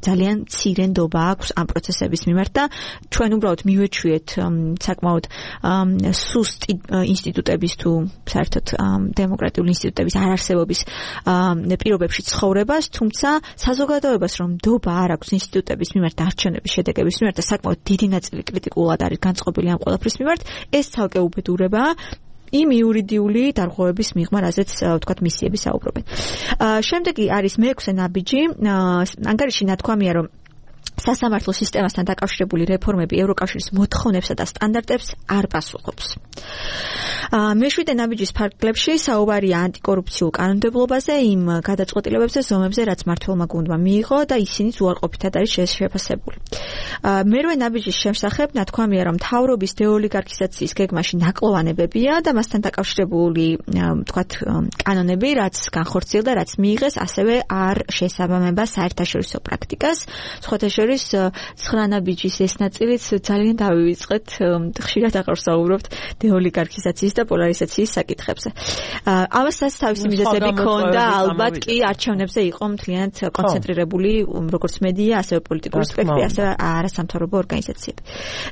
ძალიან მცირე ნდობა აქვს ამ პროცესების მიმართ და ჩვენ უბრალოდ მივეჩვიეთ საკმაოდ სუსტი ინსტიტუტების თუ საერთოდ დემოკრატიული ინსტიტუტების არარსებობის პირობებში ცხოვრებას, თუმცა საზოგადოებას რომ ნდობა არ აქვს ინსტიტუტების მიმართ არჩევნების შედეგების მიმართ და საკმაოდ დიდი ნაწილი კრიტიკულად არის განწყობილი ამ ყველაფრის მიმართ, ეს ცალკე უბედურებაა იმ იურიდიული დარღვევების მიღმა, რაზეც ვთქვათ მისიები საუბრობენ. შემდეგი არის მეექვსე ნაბიჯი, ანგარიში ნათქვამია, რომ სასამართლო სისტემასთან დაკავშირებული რეფორმები ევროკავშირის მოთხოვნებსა და სტანდარტებს არ პასუხობს. მეშვიდე ნაბიჯის ფარგლებში საუბარია ანტიკორუფციულ კანონმდებლობაზე, იმ გადაწყვეტილებებზე, ზომებზე, რაც მმართველმა გუნდმა მიიღო და ისინიც უარყოფითად არის შეფასებული. მერვე ნაბიჯის შესახებ ნათქვამია, რომ მთავრობის დეოლიგარქიზაციის გეგმაში ნაკლოვანებებია და მასთან დაკავშირებული, ვთქვათ, კანონები, რაც განხორციელდა, რაც მიიღეს, ასევე არ შეესაბამება საერთაშორისო პრაქტიკას. სხვათა შორის 9 ნაბიჯის ეს ნაწილიც ძალიან დავივიწყეთ, ხშირად აღარ საუბრობთ დეოლიგარქიზაციის და პოლარიზაციის საკითხებზე. ამასაც თავისი მიზეზები ჰქონდა, ალბათ კი არჩევნებზე იყო მთლიანად კონცენტრირებული როგორც მედია, ასევე პოლიტიკური სპექტრი, ასევე არასამთავრობო ორგანიზაციები.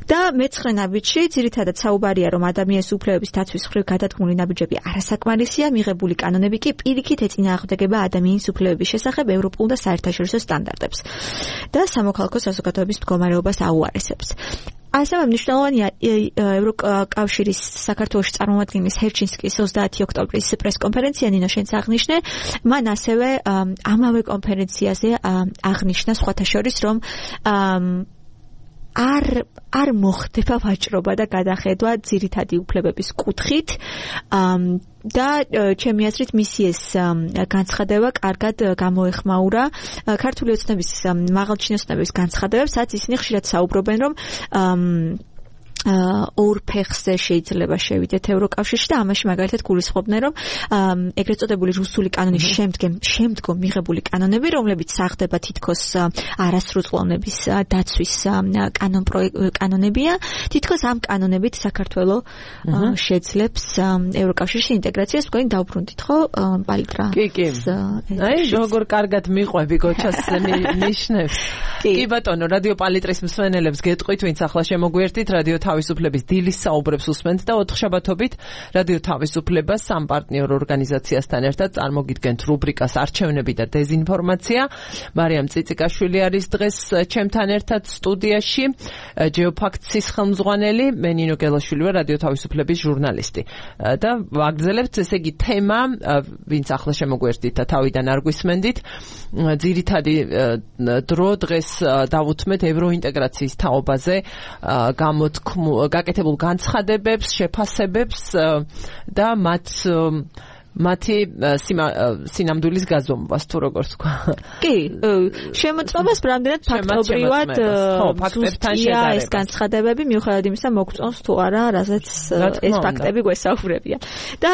და მე-9 ნაბიჯში ძირითადად საუბარია, რომ ადამიანის უფლებების დაცვის მხრივ გადადგმული ნაბიჯები არასაკმარისია, მიღებული კანონები კი პირიქით ეწინააღმდეგება ადამიანის უფლებების შესახებ ევროპულ და საერთაშორისო სტანდარტებს და სამოქალაქო საზოგადოების მდგომარეობას აუარესებს. ასევე მნიშვნელოვანია ევროკავშირის საქართველოში წარმომადგენლის ჰერჩინსკის 30 ოქტომბრის პრესკონფერენცია, ნინო შენც აღნიშნე, მან ასევე ამავე კონფერენციაზე აღნიშნა სხვათა შორის, რომ არ მოხდება ვაჭრობა და გადახედვა ძირითადი უფლებების კუთხით და ჩემი აზრით მისი ეს განცხადება კარგად გამოეხმაურა ქართული ოცნების მაღალჩინოსნების განცხადებებს, სადაც ისინი ხშირად საუბრობენ, რომ ორ ფეხზე შეიძლება შევიდეთ ევროკავშირში და ამაში მაგალითად გულისხმობდნენ, რომ ეგრეთ წოდებული რუსული კანონის შემდგომ მიღებული კანონები, რომლებიც საღდება თითქოს არასრულწლოვნების დაცვის კანონებია, თითქოს ამ კანონებით საქართველო შეძლებს ევროკავშირში ინტეგრაციას. თქვენ დაუბრუნდით ხო პალიტრა? კი. აი როგორ კარგად მიყვები გოჩას ნიშნებს. კი ბატონო, რადიო პალიტრის მსმენელებს გეტყვით, ვინც ახლა შემოგვიერთით, რადიო თავისუფლების დილის საუბრებს უსმენთ და 4 შაბათობით რადიო თავისუფლება სამ პარტნიორ ორგანიზაციასთან ერთად წარმოგიდგენთ რუბრიკას არჩევნები და დეზინფორმაცია. მარიამ წიწიკაშვილი არის დღეს ჩემთან ერთად სტუდიაში, ჯეოფაქტსის ხელმძღვანელი, მე ნინო გელაშვილი ვარ, რადიო თავისუფლების ჟურნალისტი. და ვაგრძელებთ, ესე იგი, თემა, ვინც ახლა შემოგვიერთით და თავიდან არ გვისმენდით, ძირითადი დრო დღეს დავუთმეთ ევროინტეგრაციის თაობაზე გაკეთებულ განცხადებებს, შეფასებებს და მათი სინამდვილის გაზომვას, თუ როგორ თქვა. კი, შემოწმებას რამდენად ფაქტობრივად ზუსტია ეს განცხადებები, მიუხედავად იმისა, მოგწონს თუ არა, რაზეც ეს ფაქტები გვესაუბრებია. და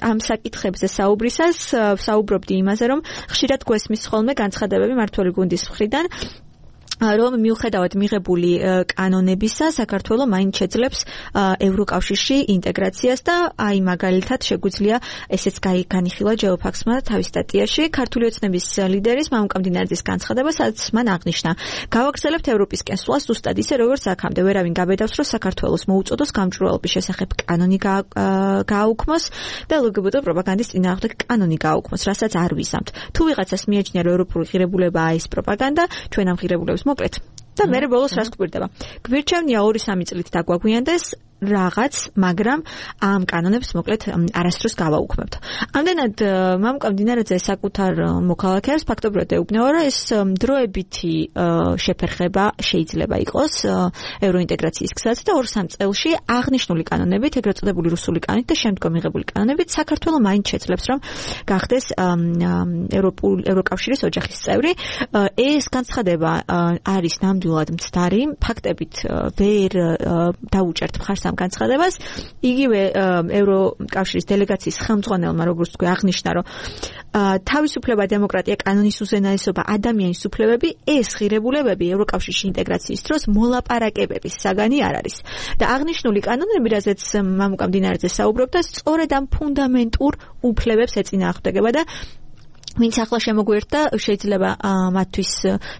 ამ საკითხებზე საუბრისას საუბრობდი იმაზე, რომ ხშირად გვესმის ხოლმე განცხადებები მმართველი გუნდის მხრიდან, რომ მიუხედავად მიღებული კანონებისა, საქართველო მაინც შეძლებს ევროკავშირში ინტეგრაციას და აი მაგალითად შეგვიძლია ესეც განიხილა ჯეოფაქსმა თავის სტატიაში ქართული ოცნების ლიდერის მამუკამდინარიძის განცხადება, სადაც მან აღნიშნა: გავაგრძელებთ ევროპისკენ სვლას ზუსტად ისე, როგორც აქამდე. ვერავინ გაბედავს, რომ საქართველოს მოუწოდოს გამჭვირვალობის შესახებ კანონი გააუქმოს და ლგბტ პროპაგანდის წინააღმდეგ კანონი გააუქმოს, რასაც არ ვიზამთ. თუ ვიღაცას მიაჩნია, რომ ევროპული ღირებულებაა ეს პროპაგანდა, ჩვენ ამ ღირებულებას მოკლედ და მე ბოლოს რას გვირდება? გვირჩევნია 2-3 წლით დაგვაგვიანდეს რაღაც, მაგრამ ამ კანონებს მოკლედ არასდროს გავაუქმებთ. ამდენად მამუკამდინარიძე საკუთარ მოქალაქეებს ფაქტობრივად ეუბნება, რომ ეს დროებითი შეფერხება შეიძლება იყოს ევროინტეგრაციის გზაზე და 2-3 წელში აღნიშნული კანონებით, ეგრეთ წოდებული რუსული კანონით და შემდგომ მიღებული კანონებით საქართველო მაინც შეძლებს, რომ გახდეს ევროკავშირის ოჯახის წევრი. ეს განცხადება არის ნამდვილად მცდარი, ფაქტებით ვერ დაუჭერთ მხარს ამ განცხადებას. იგივე ევროკავშირის დელეგაციის ხელმძღვანელმა, როგორც თქვი, აღნიშნა, რომ თავისუფლება, დემოკრატია, კანონის უზენაესობა, ადამიანის უფლებები, ეს ღირებულებები ევროკავშირში ინტეგრაციის დროს მოლაპარაკებების საგანი არ არის. და აღნიშნული კანონები, რაზეც მამუკამდინარიძე საუბრობდა, სწორედ ამ ფუნდამენტურ უფლებებს ეწინააღმდეგება და ვინც ახლა შემოგვიერთდა, შეიძლება მათთვის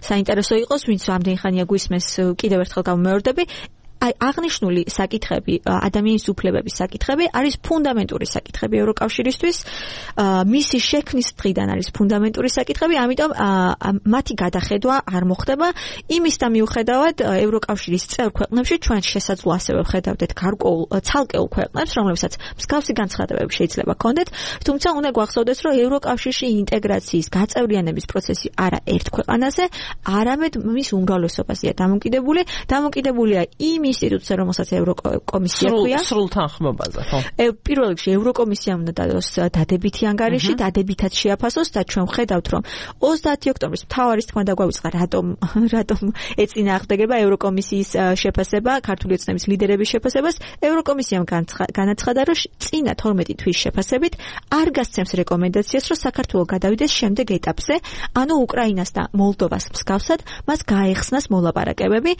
საინტერესო იყოს, ვინც ამდენი ხანია გვისმენს, კიდევ ერთხელ გამომეორდები. აღნიშნული საკითხები, ადამიანის უფლებების საკითხები არის ფუნდამენტური საკითხები ევროკავშირისთვის. მისი შექმნის დღიდან არის ფუნდამენტური საკითხები, ამიტომ მათი გადახედვა არ მოხდება. იმის და მიუხედავად ევროკავშირის წევრ ქვეყნებში ჩვენ შესაძლოა ასევე ვხედავდეთ გარკვეულ ცალკეულ ქვეყნებს, რომლებსაც მსგავსი განცხადებები შეიძლება ჰქონდეთ, თუმცა უნდა გვახსოვდეს, რომ ევროკავშირში ინტეგრაციის გაწევრიანების პროცესი არა ერთ ქვეყანაზე, არამედ მის უმრავლესობაზეა დამოკიდებულია იმ ინსტიტუცია, რომელსაც ევროკომისია ქვია. სრულ თანხმობაზე, ხო? პირველ რიგში ევროკომისიამ უნდა დადოს დადებითი ანგარიში, დადებითად შეაფასოს და ჩვენ ვხედავთ, რომ 30 ოქტომბრის მთავარის თქმა დაგვავიწყდა, რატომ ეწინააღმდეგება ევროკომისიის შეფასება, ქართული ოცნების ლიდერების შეფასებას. ევროკომისიამ განაცხადა, რომ წინა 12 თვის შეფასებით არ გასცემს რეკომენდაციას, რომ საქართველო გადავიდეს შემდეგ ეტაპზე, ანუ უკრაინას და მოლდოვას მსგავსად, მას გაეხსნას მოლაპარაკებები.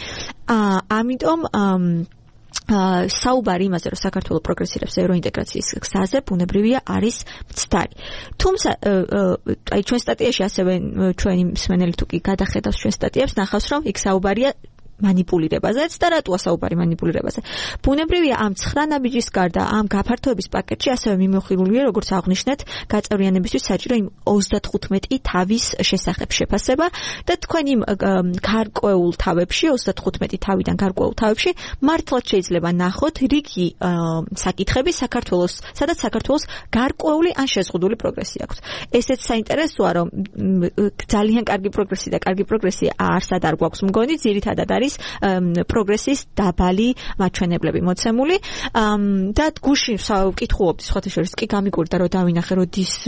ამიტომ საუბარი იმაზე, რომ საქართველო პროგრესირებს ევროინტეგრაციის გზაზე, ბუნებრივია არის მცდარი. თუმცა, ჩვენ სტატიაში ასევე ჩვენი მსმენელი თუ კი გადახედავს ჩვენ სტატიებს, ნახავს, რომ იქ საუბარია მანიპულირებაზეც და რატოა საუბარი მანიპულირებაზე. ბუნებრივია ამ 9 ნაბიჯის გარდა ამ გაფართოების პაკეტში ასევე მიმოხილულია როგორც აღნიშნეთ გაწევრიანებისთვის საჭირო იმ 35 თავის შესახებ შეფასება და თქვენ იმ გარკვეულ თავებში 35 თავიდან გარკვეულ თავებში მართლაც შეიძლება ნახოთ რიგი საკითხები საქართველოს სადაც საქართველოს გარკვეული ან შეზღუდული პროგრესი აქვს. ესეც საინტერესოა რომ ძალიან კარგი პროგრესი და კარგი პროგრესი არსად არ გვაქვს მგონი ძირითადად არის პროგრესის დაბალი მაჩვენებლები მოცემული და გუშინ ვკითხულობდი სხვათა შორის კი გამიგურდა რომ დავინახე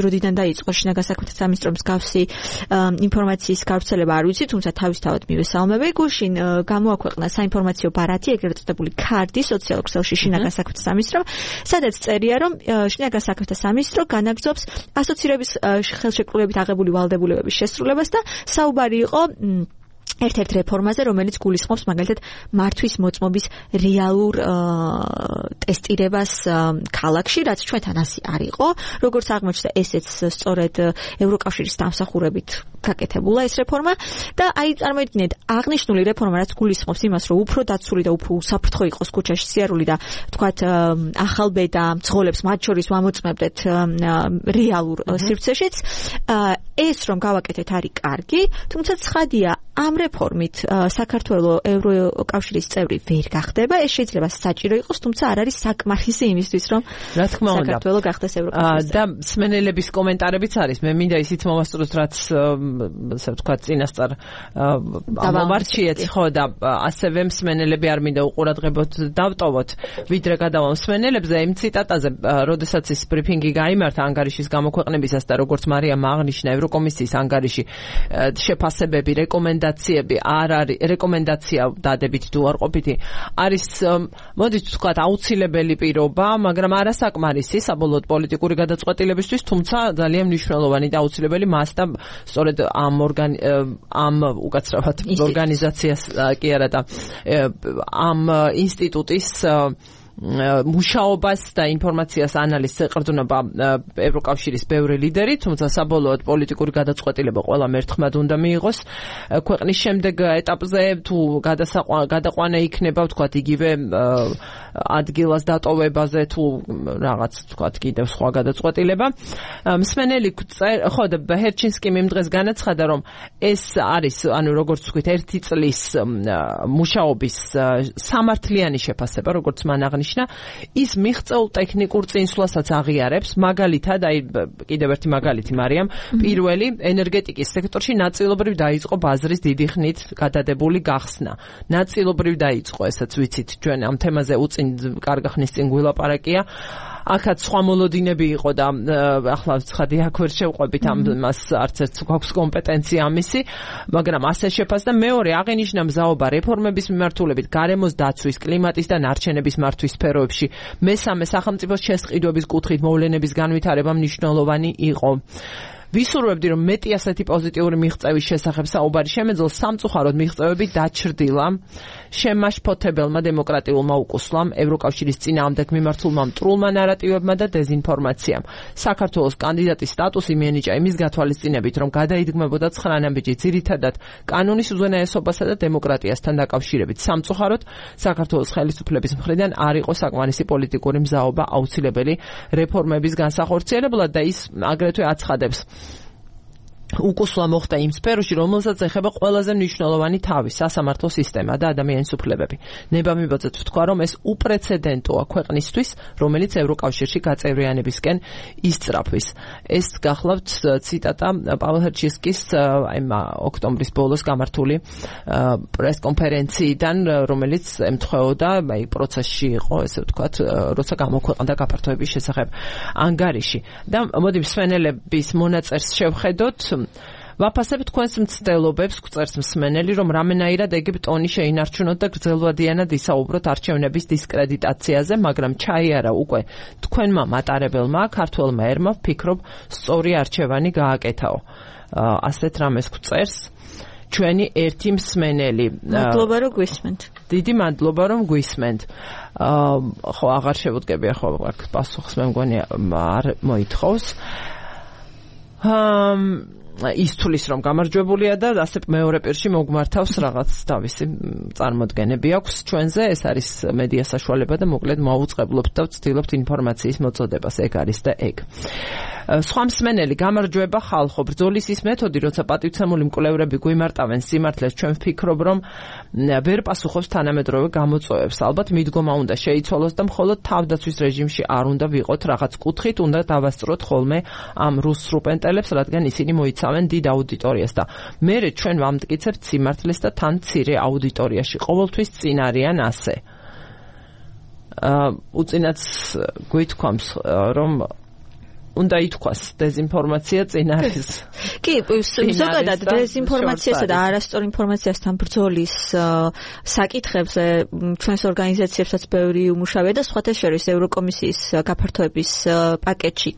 როდიდან დაიწყო შინაგან საქმეთა სამინისტროს მსგავსი ინფორმაციის გავრცელება არ ვიცი თუმცა თავისთავად მივესალმები გუშინ გამოაქვეყნა საინფორმაციო ბარათი ეგრეთ წოდებული ქარდი სოციალურ ქსელში შინაგან საქმეთა სამინისტრომ სადაც წერია რომ შინაგან საქმეთა სამინისტრო განაგრძობს ასოცირების ხელშეკრულებით აღებული ვალდებულებების შესრულებას და საუბარი იყო ერთ-ერთ რეფორმაზე, რომელიც გულისხმობს მაგალითად მართვის მოწმობის რეალურ ტესტირებას ქალაქში, რაც ჩვენთან ასე არ იყო. როგორც აღმოჩნდა, ესეც სწორედ ევროკავშირის დამსახურებით გაკეთებულა ეს რეფორმა და აი წარმოიდგინეთ, აღნიშნული რეფორმა რაც გულისხმობს იმას, რომ უფრო დაცული და უფრო უსაფრთხო იყოს ქუჩაში სიარული და თქვათ ახალბედა მძღოლებს მათ შორის ვამოწმებდეთ რეალურ სივრცეშიც, ეს რომ გავაკეთეთ არის კარგი, თუმცა ცხადია ამ რეფორმით საქართველოს ევროკავშირის წევრი ვერ გახდება, ეს შეიძლება საჭირო იყოს, თუმცა არ არის საკმარისი იმისთვის, რომ რა თქმა უნდა საქართველოს გახდეს ევროკავშირის და სმენელების კომენტარებიც არის. მე მინდა ისიც მოვასწროთ, რაც ასე ვთქვათ, წინასწარ ამომარჩიეთ, ხო და ასევე მსმენელები არ მინდა უყურადღებოთ დავტოვოთ, ვიდრე გადავალ მსმენელებზე იმ ციტატაზე, როდესაც ის ბრიფინგი გაიმართა ანგარიშის გამოქვეყნებისას და როგორც მარიამ აღნიშნა ევროკომისიის ანგარიში შეფასებები, რეკომენდაციები არ არის რეკომენდაცია დადებით თუ უარყოფითი არის მოდით ვთქვათ აუცილებელი პირობა, მაგრამ არასაკმარისი საბოლოოდ პოლიტიკური გადაწყვეტილებისთვის, თუმცა ძალიან მნიშვნელოვანი და აუცილებელი მას და სწორედ ამ უკაცრავად ორგანიზაციას კი არა და ამ ინსტიტუტის მუშაობას და ინფორმაციას ანალიზს ეყრდნობა ევროკავშირის ბევრი ლიდერი, თუმცა საბოლოოდ პოლიტიკური გადაწყვეტილება ყველა მერთხმად უნდა მიიღოს. ქვეყნის შემდეგ ეტაპზე თუ გადაყვანა იქნება, ვთქვათ, იგივე ადგილას დატოვებაზე თუ რაღაც, ვთქვათ, კიდევ სხვა გადაწყვეტილება. მსმენელი ხო და ჰერჩინსკიმ იმ დღეს განაცხადა, რომ ეს არის, ანუ როგორც ვთქვით, 1 წლის მუშაობის სამართლიანი შეფასება, როგორც მან აღნიშნა, ის მიღწეულ ტექნიკურ წინსვლასაც აღიარებს, მაგალითად, აი კიდევ ერთი მაგალითი მარიამ, პირველი ენერგეტიკის სექტორში ნაწილობრივ დაიწყო ბაზრის დიდი ხნით გადადებული გახსნა. ნაწილობრივ დაიწყო, ესაც ვიცით, ჩვენ ამ თემაზე უწინ კარგი ხნის წინ გვილაპარაკია. აქაც სხვა მოლოდინები იყო და ახლა ცხადი აქ ვერ შევყვებით ამას არც ერთ გვაქვს კომპეტენცია ამისი, მაგრამ ასე შეფასდა. მეორე აღინიშნა მზაობა რეფორმების მიმართულებით გარემოს დაცვის, კლიმატის და ნარჩენების მართვის სფეროებში. მესამე სახელმწიფოს შესყიდვების კუთხით მოვლენების განვითარება მნიშვნელოვანი იყო. ვისურვებდი, რომ მეტი ასეთი პოზიტიური მიღწევის შესახებ საუბარი შემეძლოს, სამწუხაროდ მიღწევები დაჩრდილა შემაშფოთებელმა დემოკრატიულმა უკუსლამ, ევროკავშირის წინააღმდეგ მიმართულმა მტრულმა ნარატივებმა და დეზინფორმაციამ. საქართველოს კანდიდატის სტატუსი მიენიჭა იმის გათვალისწინებით, რომ გადაიდგმებოდა 9 ნაბიჯი ძირითადად კანონის უზენაესობასა და დემოკრატიასთან დაკავშირებით. სამწუხაროდ საქართველოს ხელისუფლების მხრიდან არ იყო საკმარისი პოლიტიკური მზაობა აუცილებელი რეფორმების განსახორციელებლად და ის აგრეთვე აცხადებს უკუსლა მოხდა იმ სფეროში, რომელსაც ეხება ყველაზე მნიშვნელოვანი თავი, სასამართლო სისტემა და ადამიანის უფლებები. ნებამიბოძეთ ვთქვა, რომ ეს უპრეცედენტოა ქვეყნისთვის, რომელიც ევროკავშირში გაწევრიანებისკენ ისწრაფვის. ეს გახლავთ ციტატა პაველ ჰერჩინსკის ოქტომბრის ბოლოს გამართული პრესკონფერენციიდან, რომელიც ემთხვეოდა პროცესში იყო, ესე ვთქვათ, როცა გამოქვეყნდა გაფართოების შესახებ ანგარიში. და მოდი მსმენელების მონაწერს შევხედოთ. ვაფასებ თქვენს მცდელობებს, გვწერს მსმენელი, რომ რამენაირად ეგვიპტონი შეინარჩუნოთ და გრძელვადიანად ისაუბროთ არჩევნების დისკრედიტაციაზე, მაგრამ ჩაიარა უკვე თქვენმა მატარებელმა, ქართველმა ერმა, ვფიქრობ, სწორი არჩევანი გააკეთაო. ასეთ რამეს გვწერს ჩვენი ერთი მსმენელი. მადლობა რომ გვისმენთ. დიდი მადლობა რომ გვისმენთ. ხო, აღარ შევუდგები ახლა პასუხს, მე მგონი არ მოითხოვს. ის თulis რომ გამარჯვებულია და ასე მეორე პირში მოგმართავს რაღაც თავისი წარმოდგენები აქვს ჩვენზე ეს არის მედია საშუალება და მოკლედ მოუწყებლობთ და ვცდილობთ ინფორმაციის მოწოდებას ეგ არის და ეგ სხვა მსმენელი გამარჯვება ხალხო ბრძოლის ის მეთოდი როცა პატივცემული მკვლევრები გვიმარტავენ სიმართლეს ჩვენ ვფიქრობ რომ ვერ პასუხობს თანამედროვე გამოწვევებს ალბათ მიდგომა უნდა შეიცვალოს და მხოლოდ თავდაცვის რეჟიმში არ უნდა ვიყოთ რაღაც კუთხით უნდა დავასწროთ ხოლმე ამ რუს სრუპენტელებს რადგან ისინი მოიცავენ დიდ აუდიტორიას და მერე ჩვენ ვამტკიცებთ სიმართლეს და თან მცირე აუდიტორიაში ყოველთვის წინ არიან ასე უწინაც გვითქვამს რომ უნდა ითქვას დეზინფორმაცია წინ არის. კი, ზოგადად დეზინფორმაციასა და არასწორ ინფორმაციასთან ბრძოლის საკითხებზე ჩვენს ორგანიზაციებსაც ბევრი უმუშავია და სხვათა შორის ევროკომისიის გაფართოების პაკეტში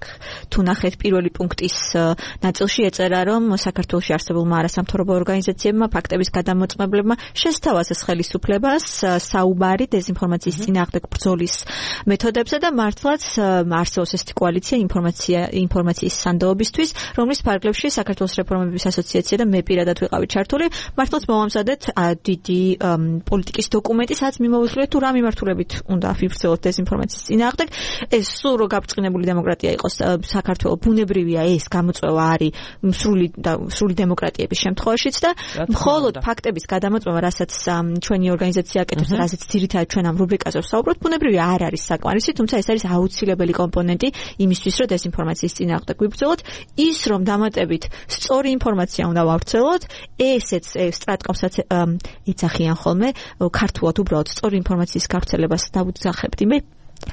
თუ ნახეთ პირველი პუნქტის ნაწილში ეწერა რომ საქართველოში არსებულმა არასამთავრობო ორგანიზაციებმა ფაქტების გადამოწმებლებმა შესთავაზეს ხელისუფლებას საუბარი დეზინფორმაციის წინააღმდეგ ბრძოლის მეთოდებზე და მართლაც არსებობს ეს კოალიცია ინფორმაციის სანდოობისთვის, რომლის ფარგლებში საქართველოს რეფორმების ასოციაცია და მე პირადად ვიყავი ჩართული, მართლაც მოვამზადეთ დიდი პოლიტიკის დოკუმენტი, სადაც მიმოვიხილეთ თუ რა მიმართულებით უნდა ვიბრძოლოთ დეზინფორმაციის წინააღმდეგ. ეს სულ რო გაბწყინებული დემოკრატია იყოს საქართველოს ბუნებრივია ეს გამოწვევა არის სრული დემოკრატიების შემთხვევაშიც და მხოლოდ ფაქტების გადამოწმება, რასაც ჩვენი ორგანიზაცია აკეთებს, რასაც ძირითადად ჩვენ ამ რუბრიკაზე ვსაუბრობთ, ბუნებრივია არ არის საკმარისი, თუმცა ეს არის აუცილებელი კომპონენტი იმისთვის, რომ დეზინფორმაციის წინააღმდეგ ვიბრძოლოთ, ის რომ დამატებით სწორი ინფორმაცია უნდა ვავრცელოთ, ესეც სტრატკომსაც ეძახიან ხოლმე ქართულად უბრალოდ სწორი ინფორმაციის გავრცელებას დავუძახებდი მე.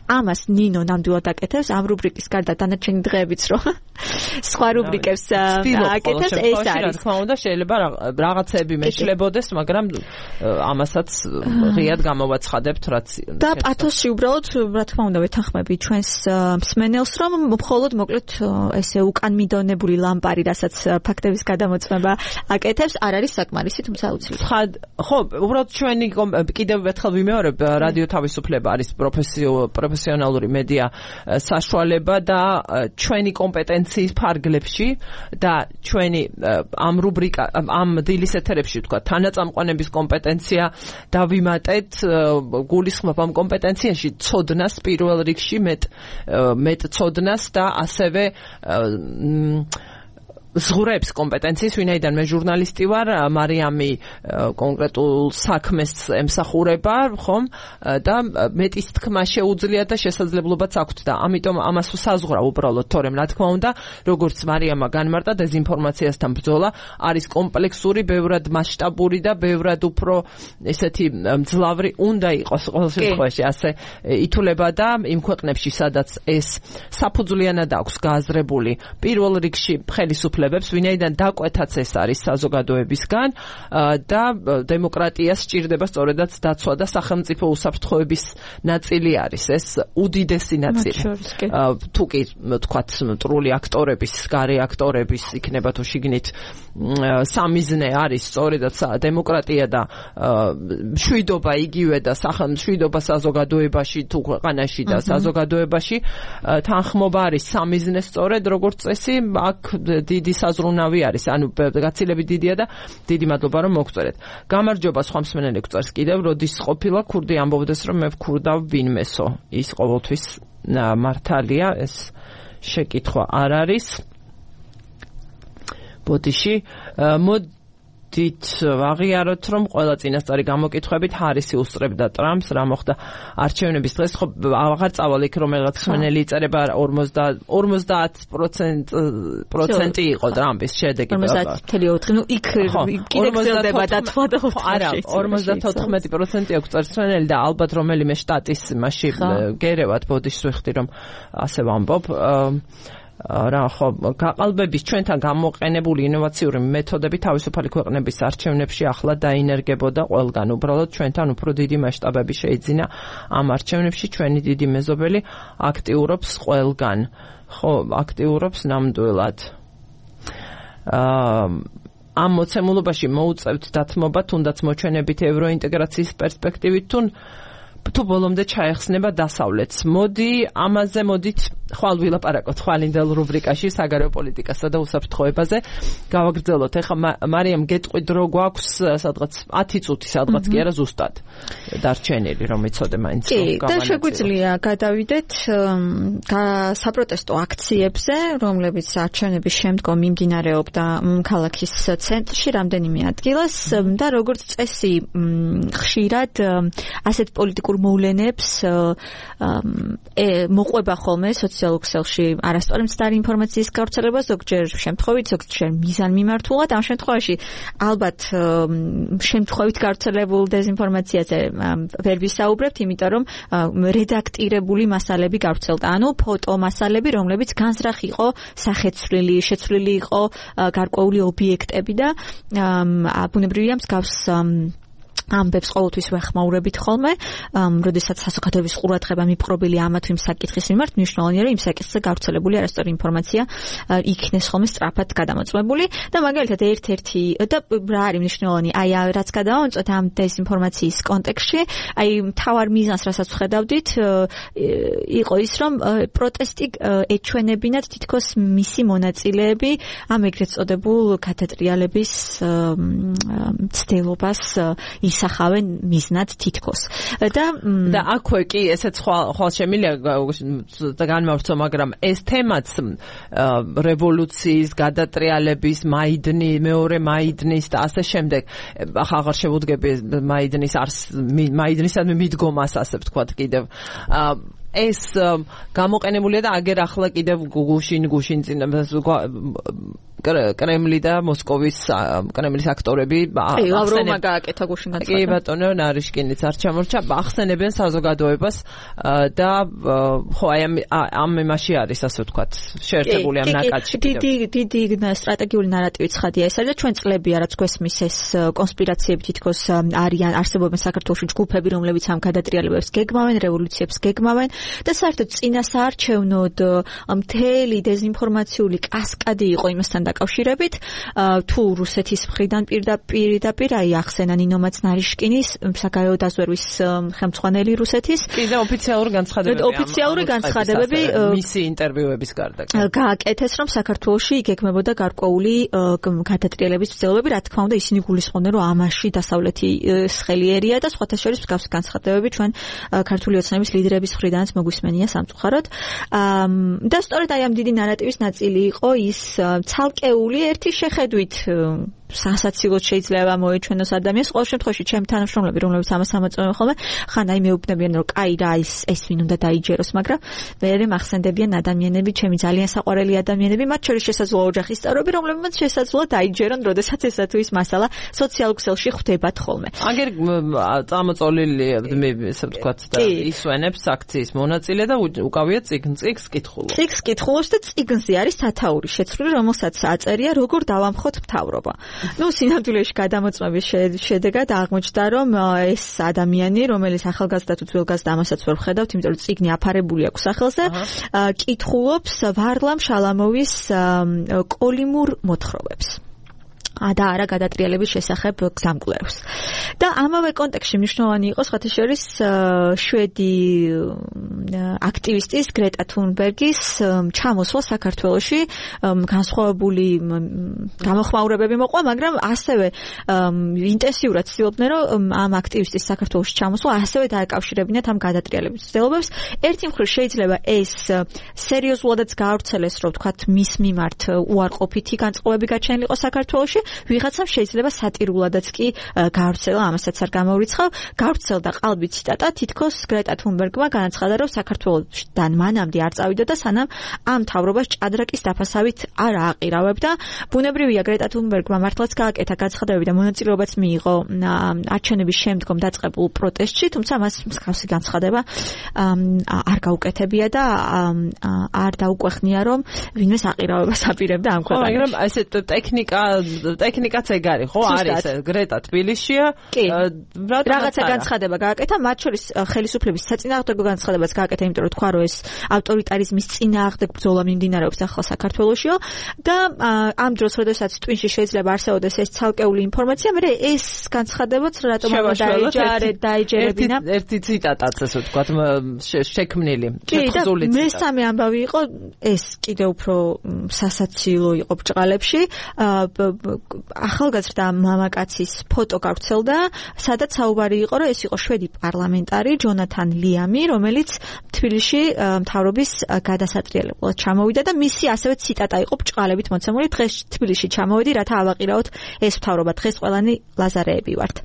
ამას ნინო ნამდვილად აკეთებს ამ რუბრიკის გარდა დანარჩენი დღეებიც რო სხვა რუბრიკებს აკეთებს ეს არის. თქმა უნდა შეიძლება რაღაცები მეშლებოდეს, მაგრამ ამასაც ღიად გამოვაცხადებთ რაც და პათოსში უბრალოდ რა თქმა უნდა ვეთანხმები ჩვენს მსმენელს რომ მხოლოდ მოკლედ ესე უკან მიდონებული ლამპარი რასაც ფაქტების გადამოწმება აკეთებს არ არის საკმარისი, თუმცა აუცილებელი. ხო, უბრალოდ ჩვენი კიდევ ერთხელ ვიმეორებ რადიო თავისუფლება არის პროფესიონალური მედია საშუალება და ჩვენი კომპეტენციის ფარგლებში და ჩვენი ამ რუბრიკა ამ დილის ეთერებში თქვა თანაწამყვანების კომპეტენცია დავიმატეთ გულისხმობ ამ კომპეტენციაში ცოდნას პირველ რიგში მეტ ცოდნას და ასევე ზღურებს კომპეტენციის, ვინაიდან მე ჟურნალისტი ვარ, მარიამი კონკრეტულ საქმეს ემსახურება, ხომ? და მეტის თქმა შეუძლია და შესაძლებლობაც აქვს და ამიტომ ამას საზღვრავ უბრალოდ, თორემ რა თქმა უნდა, როგორც მარიამა განმარტა, დეზინფორმაციასთან ბრძოლა არის კომპლექსური, ბევრად მასშტაბური და ბევრად უფრო ესეთი მძლავრი უნდა იყოს ყოველ შემთხვევაში, ასე ითვლება და იმ ქვეყნებში, სადაც ეს საფუძვლიანად აქვს გააზრებული პირველ რიგში ხელისუფლება ვინაიდან დაკვეთაც ეს არის საზოგადოებისგან და დემოკრატიას სჭირდება სწორედაც დაცვა და სახელმწიფო უსაფრთხოების ნაწილი არის ეს უდიდესი ნაწილი. თუ კი თქვათ მტრული აქტორების, გარე აქტორების იქნება თუ შიგნით სამიზნე არის სწორედაც დემოკრატია და მშვიდობა იგივე და მშვიდობა საზოგადოებაში თუ ქვეყანაში და საზოგადოებაში თანხმობა არის სამიზნე სწორედ როგორც წესი აქ დიდი საზრუნავი არის, ანუ გაცილებით დიდია და დიდი მადლობა რომ მოგწერეთ. გამარჯობა სხვა მსმენელი გვწერს კიდევ, როდის ყოფილა ქურდი ამბობდეს რომ მე ვქურდავ ვინმესო. ის ყოველთვის მართალია, ეს შეკითხვა არ არის. ბოდიში მოდით ვაღიაროთ რომ ყველა წინასწარი გამოკითხვებით ჰარისი უსწრებდა ტრამპს, რა მოხდა არჩევნების დღეს, ხო აღარ წავალ იქ რომელიღაც მსმენელი იწერება 50% იყო ტრამპის შედეგი. 50.4, ნუ იქ კიდე გრძელდება დათვა და არა 54% აქვს წარსვენელი და ალბათ რომელიმე შტატის მასში გერევათ ბოდიშს ვიხდი რომ ასე ვამბობ. რა ხო გაყალბების ჩვენთან გამოყენებული ინოვაციური მეთოდები თავისუფალი ქვეყნების არჩევნებში ახლა დაინერგებოდა ყველგან. უბრალოდ ჩვენთან უფრო დიდი მასშტაბები შეიძინა ამ არჩევნებში, ჩვენი დიდი მეზობელი აქტიურობს ყველგან. ხო, აქტიურობს ნამდვილად. ამ მოცემულობაში მოუწევთ დათმობა, თუნდაც მოჩვენებით ევროინტეგრაციის პერსპექტივით თუ ბოლომდე ჩაეხსნება დასავლეთს. მოდით ხვალ ვილაპარაკოთ ხვალინდელ რუბრიკაში საგარეო პოლიტიკასა და უსაფრთხოებაზე. გავაგრძელოთ. ეხლა მარიამ გეტყვით რო გვაქვს სადღაც 10 წუთი სადღაც კი არა ზუსტად დარჩენილი რომ იცოდე მაინც რომ კი, და შეგვიძლია გადავიდეთ საპროტესტო აქციებზე, რომლებიც არჩევნების შემდგომ მიმდინარეობდა ქალაქის ცენტრში რამდენიმე ადგილას და როგორც წესი ხშირად ასეთ პოლიტიკურ მოვლენებს მოყვება ხოლმე სოციალურ ქსელში არასწორი მცდარი ინფორმაციის გავრცელება, ზოგჯერ შემთხვევით, ზოგჯერ მიზანმიმართულად. ამ შემთხვევაში ალბათ შემთხვევით გავრცელებულ დეზინფორმაციაზე ვერ ვისაუბრებთ, იმიტომ რომ რედაქტირებული მასალები გავრცელდა, ანუ ფოტო მასალები, რომლებიც განზრახ იყო სახეცვლილი, შეცვლილი იყო გარკვეული ობიექტები და ბუნებრივია მსგავს ამბებს ყოველთვის ვეხმაურებით ხოლმე, როდესაც საზოგადოების ყურადღება მიპყრობილი ამა თუ იმ საკითხის მიმართ, მნიშვნელოვანია რომ იმ საკითხზე გავრცელებული არასწორი ინფორმაცია იქნეს ხოლმე სწრაფად გადამოწმებული და მაგალითად ერთ-ერთი და რა არის მნიშვნელოვანი, აი რაც გადავამოწმოთ ამ დეზინფორმაციის კონტექსტში, აი მთავარ მიზანს რასაც ვხედავდით, იყო ის რომ პროტესტი ეჩვენებინათ თითქოს მისი მონაწილეები ამ ეგრეთ წოდებულ გადატრიალების ცდილობას ისახავენ მიზნად თითქოს. და აქვე კი ესეც ხვალ შემილია განმავრცო, მაგრამ ეს თემაც რევოლუციის, გადატრიალების, მეორე მაიდნის და ასე შემდეგ აღარ შევუდგები მაიდნისადმი მიდგომას, ასე ვთქვათ კიდევ. ეს გამოყენებულია და აგერ ახლა კიდევ გუშინ წინ კრემლი და მოსკოვის კრემლის აქტორები ლავროვმა გააკეთა გუშინ განცხადება. კი ბატონო, ნარიშკინიც არ ჩამორჩა, ახსენებენ საზოგადოებას და ხო აი ამ იმაში არის, ასე ვთქვათ, შეერთებული ამ ნაკადში. დიდი სტრატეგიული ნარატივი ცხადია ეს არის და ჩვენ წლებია რაც გვესმის ეს კონსპირაციები თითქოს არსებობენ საქართველოში ჯგუფები, რომლებიც ამ გადატრიალებებს გეგმავენ, რევოლუციებს გეგმავენ და საერთოდ წინასაარჩევნოდ მთელი დეზინფორმაციული კასკადი იყო იმასთან დაკავშირებით, თუ რუსეთის მხრიდან პირდაპირ აი ახსენა ნინომაც ნარიშკინის საგარეო დაზვერვის ხელმძღვანელი რუსეთის. კი და ოფიციალური განცხადებები მისი ინტერვიუების გარდა გააკეთეს, რომ საქართველოში გეგმებოდა გარკვეული გადატრიალების ცდილობები, რა თქმა უნდა ისინი გულისხმობდნენ, რომ ამაში დასავლეთი ხელიერია და სხვათა შორის მსგავსი განცხადებები ჩვენ ქართული ოცნების ლიდერების მხრიდანაც მოგვისმენია სამწუხაროდ. და სწორედ აი ამ დიდი ნარატივის ნაწილი იყო ის ცალკეული ერთი შეხედვით სასაცილოდ შეიძლება მოეჩვენოს ადამიანს. ყოველ შემთხვევაში ჩემი თანამშრომლები, რომლებიც ამას ამოწმებენ ხოლმე, ხან აი მეუბნებიან, რომ კაი რა ეს ვინ უნდა დაიჯეროს, მაგრამ მე მახსენდებიან ადამიანები, ჩემი ძალიან საყვარელი ადამიანები, მათ შორის შესაძლოა ოჯახის წევრები, რომლებმაც შესაძლოა დაიჯერონ, როდესაც ესა თუ ის მასალა სოციალურ ქსელში ხვდებათ ხოლმე. აგერ წამოწოლილი ესე ვთქვათ და ისვენებს აქციის მონაწილე და უკავია წიგნს კითხულობს. წიგნს კითხულობს და წიგნზე არის სათაური შეცვლილი, რომელსაც აწერია როგორ დავამხოთ მთავრობა. სინამდვილეში გადამოწმების შედეგად აღმოჩნდა, რომ ეს ადამიანი, რომელიც ახალგაზრდა თუ ძველგაზრდა, ამასაც ვერ ვხედავთ, იმიტომ რომ წიგნი აფარებული აქვს სახელზე, კითხულობს ვარლამ შალამოვის კოლიმურ მოთხრობებს. და არა გადატრიალების შესახებ გზამკვლევს. და ამავე კონტექსტში მნიშვნელოვანი იყო სხვათა შორის შვედი აქტივისტის გრეტა თუნბერგის ჩამოსვლა საქართველოში, განსხვავებული გამოხმაურებები მოყვა, მაგრამ ასევე ინტენსიურად ცდილობდნენ, რომ ამ აქტივისტის საქართველოში ჩამოსვლა ასევე დააკავშირებინათ ამ გადატრიალების ცდილობებს. ერთი მხრივ შეიძლება ეს სერიოზულადაც გაავრცელეს, რომ ვთქვათ, მის მიმართ უარყოფითი განწყობები გაჩენილიყო საქართველოში, ვიღაცამ შეიძლება სატირულადაც კი გავრცელა, ამასაც არ გამოვრიცხავ, გავრცელდა ყალბი ციტატა, თითქოს გრეტა თუნბერგმა განაცხადა, რომ საქართველოსთან მანამდე არ წავიდა და სანამ ამ მთავრობას ჭადრაკის დაფასავით არ ააყირავებდა. ბუნებრივია გრეტა თუნბერგმა მართლაც გააკეთა განცხადებები და მონაწილეობაც მიიღო არჩევნების შემდგომ დაწყებულ პროტესტში, თუმცა მას მსგავსი განცხადება არ გაუკეთებია და არ დაუკვეხნია, რომ ვინმეს აყირავებას აპირებდა ამ ქვეყანაში. მაგრამ ესე ტექნიკაც ეგ არის, ხო? არის გრეტა თბილისშია, რაღაცა განცხადება გააკეთა, მათ შორის ხელისუფლების საწინააღმდეგო განცხადებაც გააკეთა, იმიტომ რომ თქვა, რომ ეს ავტორიტარიზმის წინააღმდეგ ბრძოლა მიმდინარეობს ახლა საქართველოშიო და ამ დროს, როდესაც ტვინში შეიძლება არსებობდეს ეს ცალკეული ინფორმაცია, მე ეს განცხადებაც რატომ დაეჯერებინა. ერთი ციტატაც ასე ვთქვათ, შექმნილი, შეთხზული ციტატა. მესამე ამბავი იყო ეს კიდევ უფრო სასაცილო იყო ბრჭყალებში. ახალგაზრდა მამაკაცის ფოტო გავრცელდა, სადაც საუბარი იყო, რომ ეს იყო შვედი პარლამენტარი ჯონათან ლიამი, რომელიც თბილისში მთავრობის გადასატრიალებლად ჩამოვიდა და მისი ასევე ციტატა იყო ბრჭყალებით მოცემული. დღეს თბილისში ჩამოვედი, რათა ავაყირაოთ ეს მთავრობა. დღეს ყველანი ლაზარეები ვართ.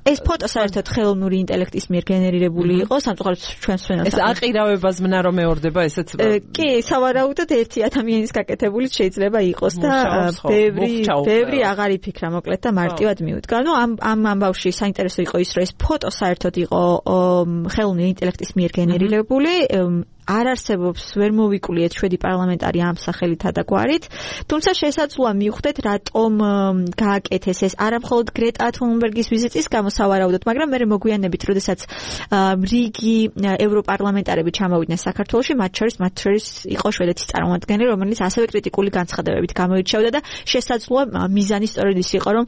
ეს ფოტო საერთოდ ხელოვნური ინტელექტის მიერ გენერირებული იყო, სამწუხაროდ ჩვენს ფენას. ეს აყირავებას მნა რომ მეორდება ესეც. კი, სავარაუდოდ ერთი ადამიანის გაკეთებული შეიძლება იყოს და ბევრი აღარ იფიქრა მოკლედ და მარტივად მიუდგა. ნუ ამ ამბავში საინტერესო იყო ის, რომ ეს ფოტო საერთოდ იყო ხელოვნური ინტელექტის მიერ გენერირებული. არ არსებობს ვერ მოვიკულიეთ შვედი პარლამენტარი ამ სახელით და გვარით, თუმცა შესაძლოა მივხვდეთ რატომ გააკეთეს ეს არამხოლოდ გრეტა თუნბერგის ვიზიტის გამო სავარაუდოდ, მაგრამ მე მოგვიანებით, როდესაც რიგი ევროპარლამენტარები ჩამოვიდნენ საქართველოში, მათ შორის იყო შვედეთის წარმომადგენელი, რომელიც ასევე კრიტიკული განცხადებებით გამოირჩეოდა და შესაძლოა მიზანი სწორედ ის იყო, რომ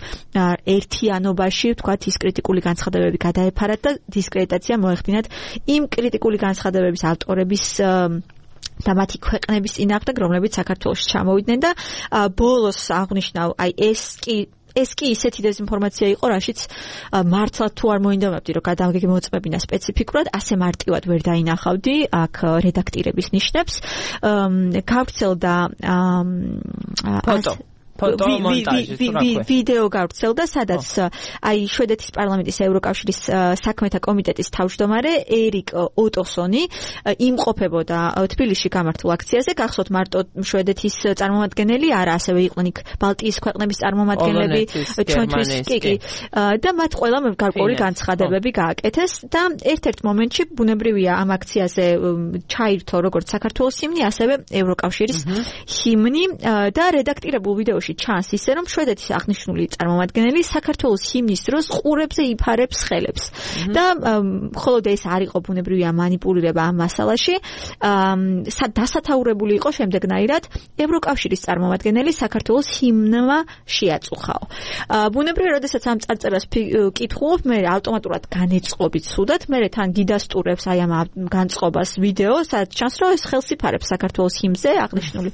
ერთიანობაში, ვთქვათ, ის კრიტიკული განცხადებები გადაეფარათ და დისკრედიტაცია მოეხდინათ იმ კრიტიკული განცხადებების ავტორების და მათი ქვეყნების წინააღმდეგ, რომლებიც საქართველოში ჩამოვიდნენ და ბოლოს აღნიშნავ, ეს კი ისეთი დეзინფორმაცია იყო, რაშიც მართლაც თუ არ მოინდომებდი, რომ გადამოწმებინა სპეციფიკურად, ასე მარტივად ვერ დაინახავდი აქ რედაქტირების ნიშნებს. გავრცელდა ვიდეო გავრცელდა, სადაც შვედეთის პარლამენტის ევროკავშირის საქმეთა კომიტეტის თავმჯდომარე ერიკ ოტოსონი იმყოფებოდა თბილისში გამართულ აქციაზე. გახსოვთ, მარტო შვედეთის წარმომადგენელი არა, ასევე იყვნენ იქ ბალტიის ქვეყნების წარმომადგენლები, ჩვენთვის კი და მათ ყველამ გარკვეული განცხადებები გააკეთეს და ერთ-ერთ მომენტში ბუნებრივია ამ აქციაზე ჩაირთო როგორც საქართველოს ჰიმნი, ასევე ევროკავშირის ჰიმნი და რედაქტირებულ ვიდეოში ჩანს ისე, რომ შვედეთის აღნიშნული წარმომადგენელი საქართველოს ჰიმნის დროს ყურებზე იფარებს ხელებს და მხოლოდ ეს არ იყო ბუნებრივია მანიპულირება ამ მასალაში, დასათაურებული იყო შემდეგნაირად ევროკავშირის წარმომადგენელი საქართველოს ჰიმნმა შეაწუხაო. ბუნებრივია, როდესაც ამ წარწერას კითხულობ, მე ავტომატურად განეწყობით სუდად, მე თან გიდასტურებს აი ამ განწყობას ვიდეო, სადაც ჩანს, რომ ეს ხელს იფარებს საქართველოს ჰიმნზე აღნიშნული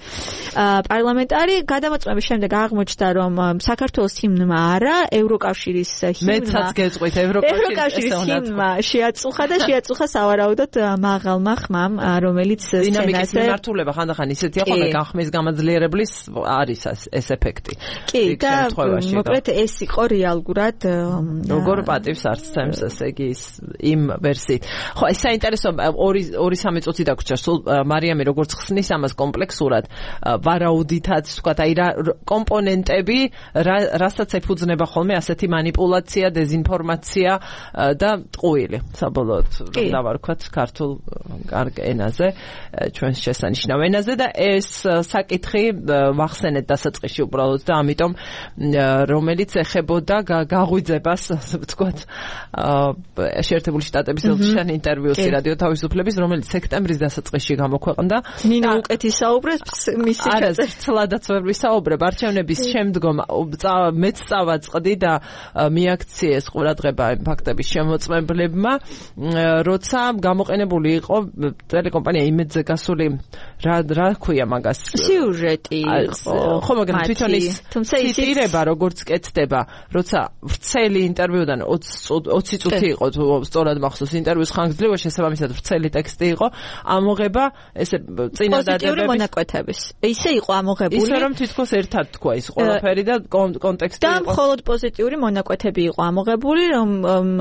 პარლამენტარი. გადამოწმების შემდეგ აღმოჩნდა, რომ საქართველოს ჰიმნმა არა, ევროკავშირის მეცაც გეწყვით ევროკავშირის ჰიმნმა შეაწუხა სავარაუდოდ მაღალმა ხმამ, რომელიც დინამიკის მიმართულება ხანდახან ისეთია, ხოლმე განხმის გამაძლიერებლის არის ეს ეფექტი. კი, და მოკლედ ეს იყო რეალურად როგორ პატივს არცემს, ესე იგი იმ ვერსიით. ხო, ეს საინტერესო 2-3 წუთი დაგვრჩა, სულ მარიამი როგორც ხსნის ამას კომპლექსურად, ვარაუდითაც ვთქვათ, აი რა კომპონენტები, რასაც ეფუძნება ხოლმე ასეთი манипуляცია, დეзинფორმაცია და ტყუილი, საბოლოოდ დავარქვათ ქართულ კარგ ენაზე, ჩვენს შესანიშნავ ენაზე და ეს საკითხი ვახსენეთ დასაწყისში უბრალოდ და ამიტომ რომელიც ეხებოდა გაღვიძებას, ვთქვათ, შეერთებული შტატების ელჩიან ინტერვიუსი რადიო თავისუფლების, რომელიც სექტემბრის დასაწყისში გამოქვეყნდა. ნინა უკეთი საუბრებს მისი ცლადაც ვერ ვისაუბრებ, არჩევნების შემდგომ მეც წავაწყდი და მიაქციეს ყურადღება იმ ფაქტების შემოწმებლებმა, როცა გამოყენებული იყო ტელეკომპანია იმედზე გასული რა ქვია მაგას სიუჟეტი იყო. ხო, მაგრამ თვითონ ის ციტირება როგორც კეთდება, როცა ვრცელი ინტერვიუდან 20 წუთი იყო, თუ სწორად მახსოვს ინტერვიუს ხანგრძლივობა, შესაბამისად ვრცელი ტექსტი იყო, ამოღება ესე წინადადებების პოზიტიური მონაკვეთების. ისე იყო ამოღებული, ისე რომ თითქოს ერთად თქვა ის ყველაფერი და კონტექსტი და მხოლოდ პოზიტიური მონაკვეთები იყო ამოღებული, რომ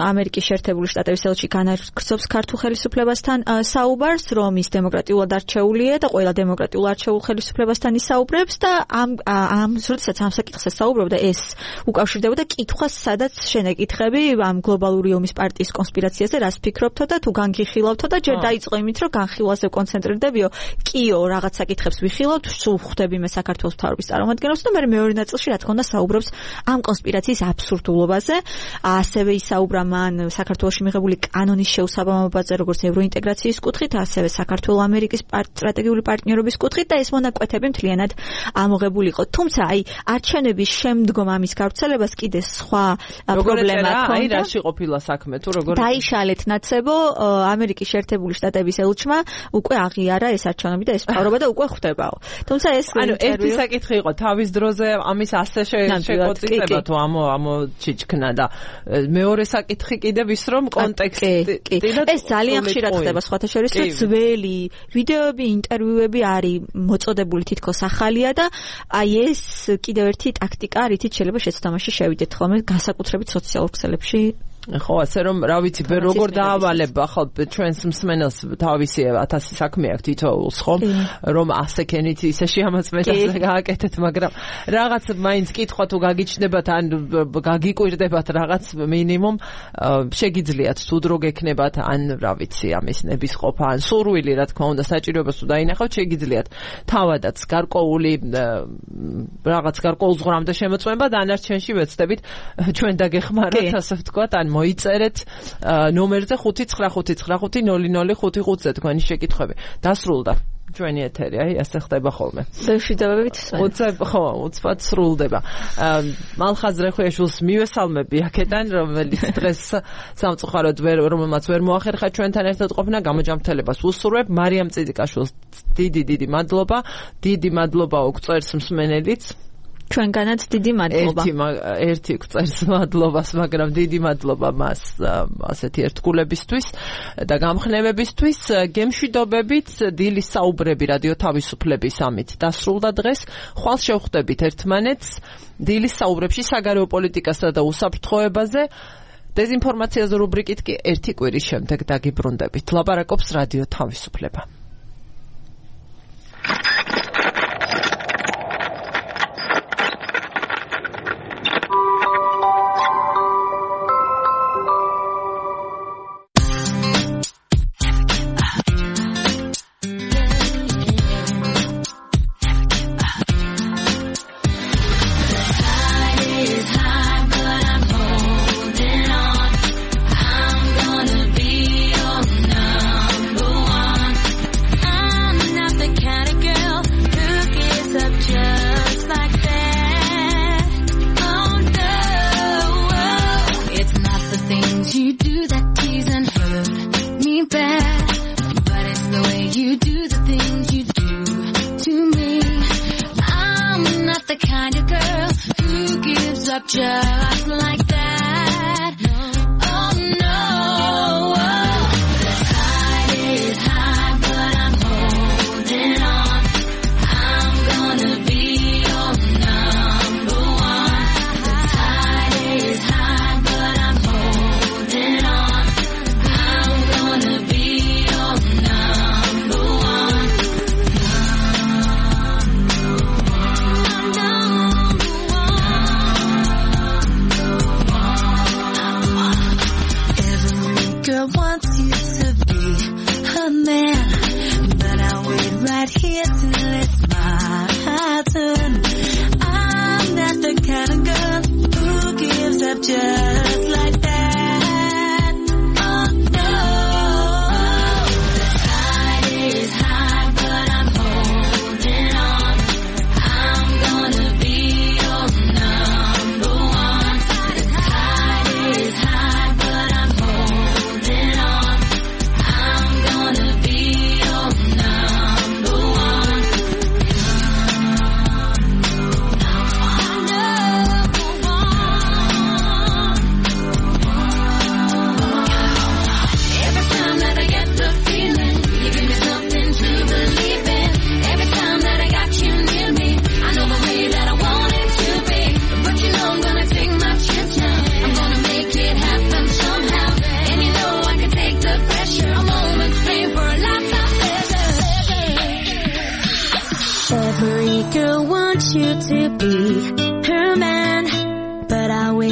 ამერიკის შეერთებული შტატების ელჩი განაგრძობს ქართულ ხელისუფლებასთან საუბარს, რომ ის დემოკრატიულად არჩეულია და და ყველა დემოკრატიულ არჩეულ ხელისუფლებასთან ისაუბრებს და როდესაც ამ საკითხზე საუბრობდა ეს უკავშირდებოდა კითხვას, სადაც შენ ეკითხები ამ გლობალური ომის პარტიის კონსპირაციაზე რას ფიქრობთო და თუ განგიხილავთო და ჯერ დაიწყო იმით, რომ განხილვაზე კონცენტრირდებიო, კიო რაღაც საკითხებს ვიხილავთ, სულ ხვდები მე საქართველოს მთავრობის წარმომადგენლებს და მე მეორე ნაწილში რა თქმა უნდა საუბრობს ამ კონსპირაციის აბსურდულობაზე, ასევე ისაუბრა მან საქართველოში მიღებული კანონის შეუსაბამობაზე, როგორც ევროინტეგრაციის კუთხით, ასევე საქართველოს ამერიკის სტრატეგიული პარტნიორობის კუთხით და ეს მონაკვეთები მთლიანად ამოღებული იყო. თუმცა აი არჩევნების შემდგომ ამის გავრცელებას კიდე სხვა პრობლემა ჰქონდა. აი რაში ყოფილა საქმე თუ როგორ დაიშალეთ ნაცებო ამერიკის შეერთებული შტატების ელჩმა უკვე აღიარა ეს არჩევნები და ეს მთავრობა და უკვე ხვდებაო. თუმცა ეს ერთი საკითხი იყო თავის დროზე ამის ასე შეგოწიწება თუ ამოჩიჩქნა და მეორე საკითხი კიდევ ის რომ კონტექსტი ეს ძალიან ხშირად ხდება სხვათა შორის რომ ძველი ვიდეოები, ინტერვიუები არის მოწოდებული თითქოს ახალია და აი ეს კიდევ ერთი ტაქტიკა, რითიც შეიძლება შეცდომაში შევიდეთ ხოლმე განსაკუთრებით სოციალურ ქსელებში. ხო, ასე რომ რა ვიცი, როგორ დაავალებ ახლა ჩვენს მსმენელს თავისი 1000 საქმე აქვს თითოეულს, ხო? რომ ასე ქენით ისე შეამოწმეთ გააკეთეთ, მაგრამ რაღაც მაინც კითხვა თუ გაგიჩნდებათ ან გაგიკვირდებათ რაღაც მინიმუმ შეგიძლიათ თუ დრო გექნებათ ან რა ვიცი, ამის ნების ყოფა ან სურვილი, რა თქმა უნდა, საჭიროებას თუ დაინახავთ, შეგიძლიათ თავადაც გარკვეული რაღაც გარკვეულ ზღვრამდე შემოწმება და დანარჩენში ვეცდებით ჩვენ დაგეხმაროთ, ასე ვთქვათ, ან მოიწერეთ ნომერზე 5955005-ზე თქვენი შეკითხვები. დასრულდა ჩვენი ეთერი, აი ასე ხდება ხოლმე. შეშვიდობებით. უცბად სრულდება. მალხაზ რეხვიაშვილს მივესალმები აქედან, რომელიც დღეს სამწუხაროდ რომელმაც ვერ მოახერხა ჩვენთან ერთად ყოფნა, გამოჯანმრთელებას უსურვებ. მარიამ წიდიკაშვილს დიდი მადლობა. დიდი მადლობა უგწერს მსმენელიც. ჩვენგანაც დიდი მადლობა. ერთი გწერს მადლობას, მაგრამ დიდი მადლობა მას ასეთი ერთგულებისთვის და გამხნევებისთვის. გემშვიდობებით, დილის საუბრები რადიო თავისუფლების ამით დასრულდა დღეს. ხვალ შევხვდებით ერთმანეთს დილის საუბრებში საგარეო პოლიტიკასა და უსაფრთხოებაზე. დეზინფორმაციაზე რუბრიკით კი ერთი კვირის შემდეგ დაგიბრუნდებით. ლაპარაკობს რადიო თავისუფლება. Just like that. Oh no. The tide is high, but I'm holding on. I'm gonna be your number one. The tide is high, but I'm holding on. I'm gonna be your number one. Number one.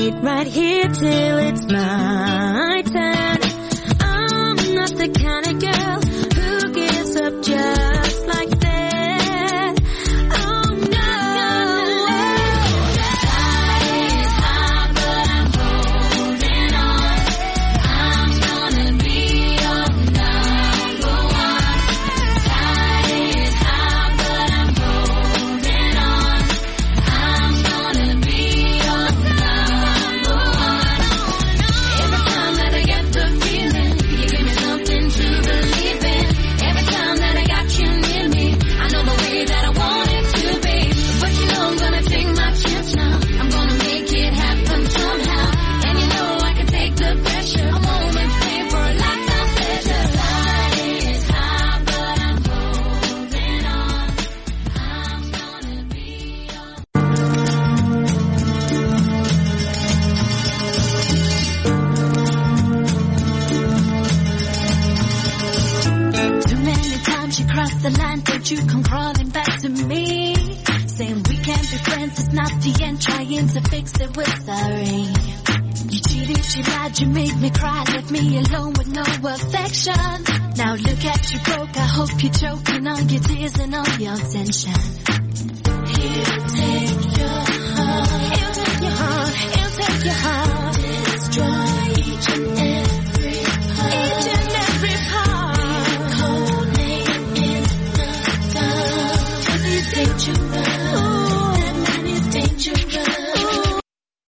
wait right here till it's my turn. I'm not the kind of girl who gives up just like that. Oh no. Tide is high, but I'm holding on. I'm gonna be your number one. Tide is high, but I'm holding on. I'm gonna be your number one. Every time that I get the feeling, you give me something to believe in. Every time that I got you near me, I know the way that I want it to be. But you know I'm gonna take my chance now. I'm gonna make it happen somehow. And you know I can take the pressure. I won't pay for a lifetime pleasure. Tide is high, but I'm holding on. I'm gonna be your Too many times you crossed the line, don't you come crawling back to me, saying we can't be friends, it's not the end, trying to fix it with a ring. You cheated, you lied, you made me cry, left me alone with no affection. Now look at you broke, I hope you're choking on your tears and all your tension. Here, take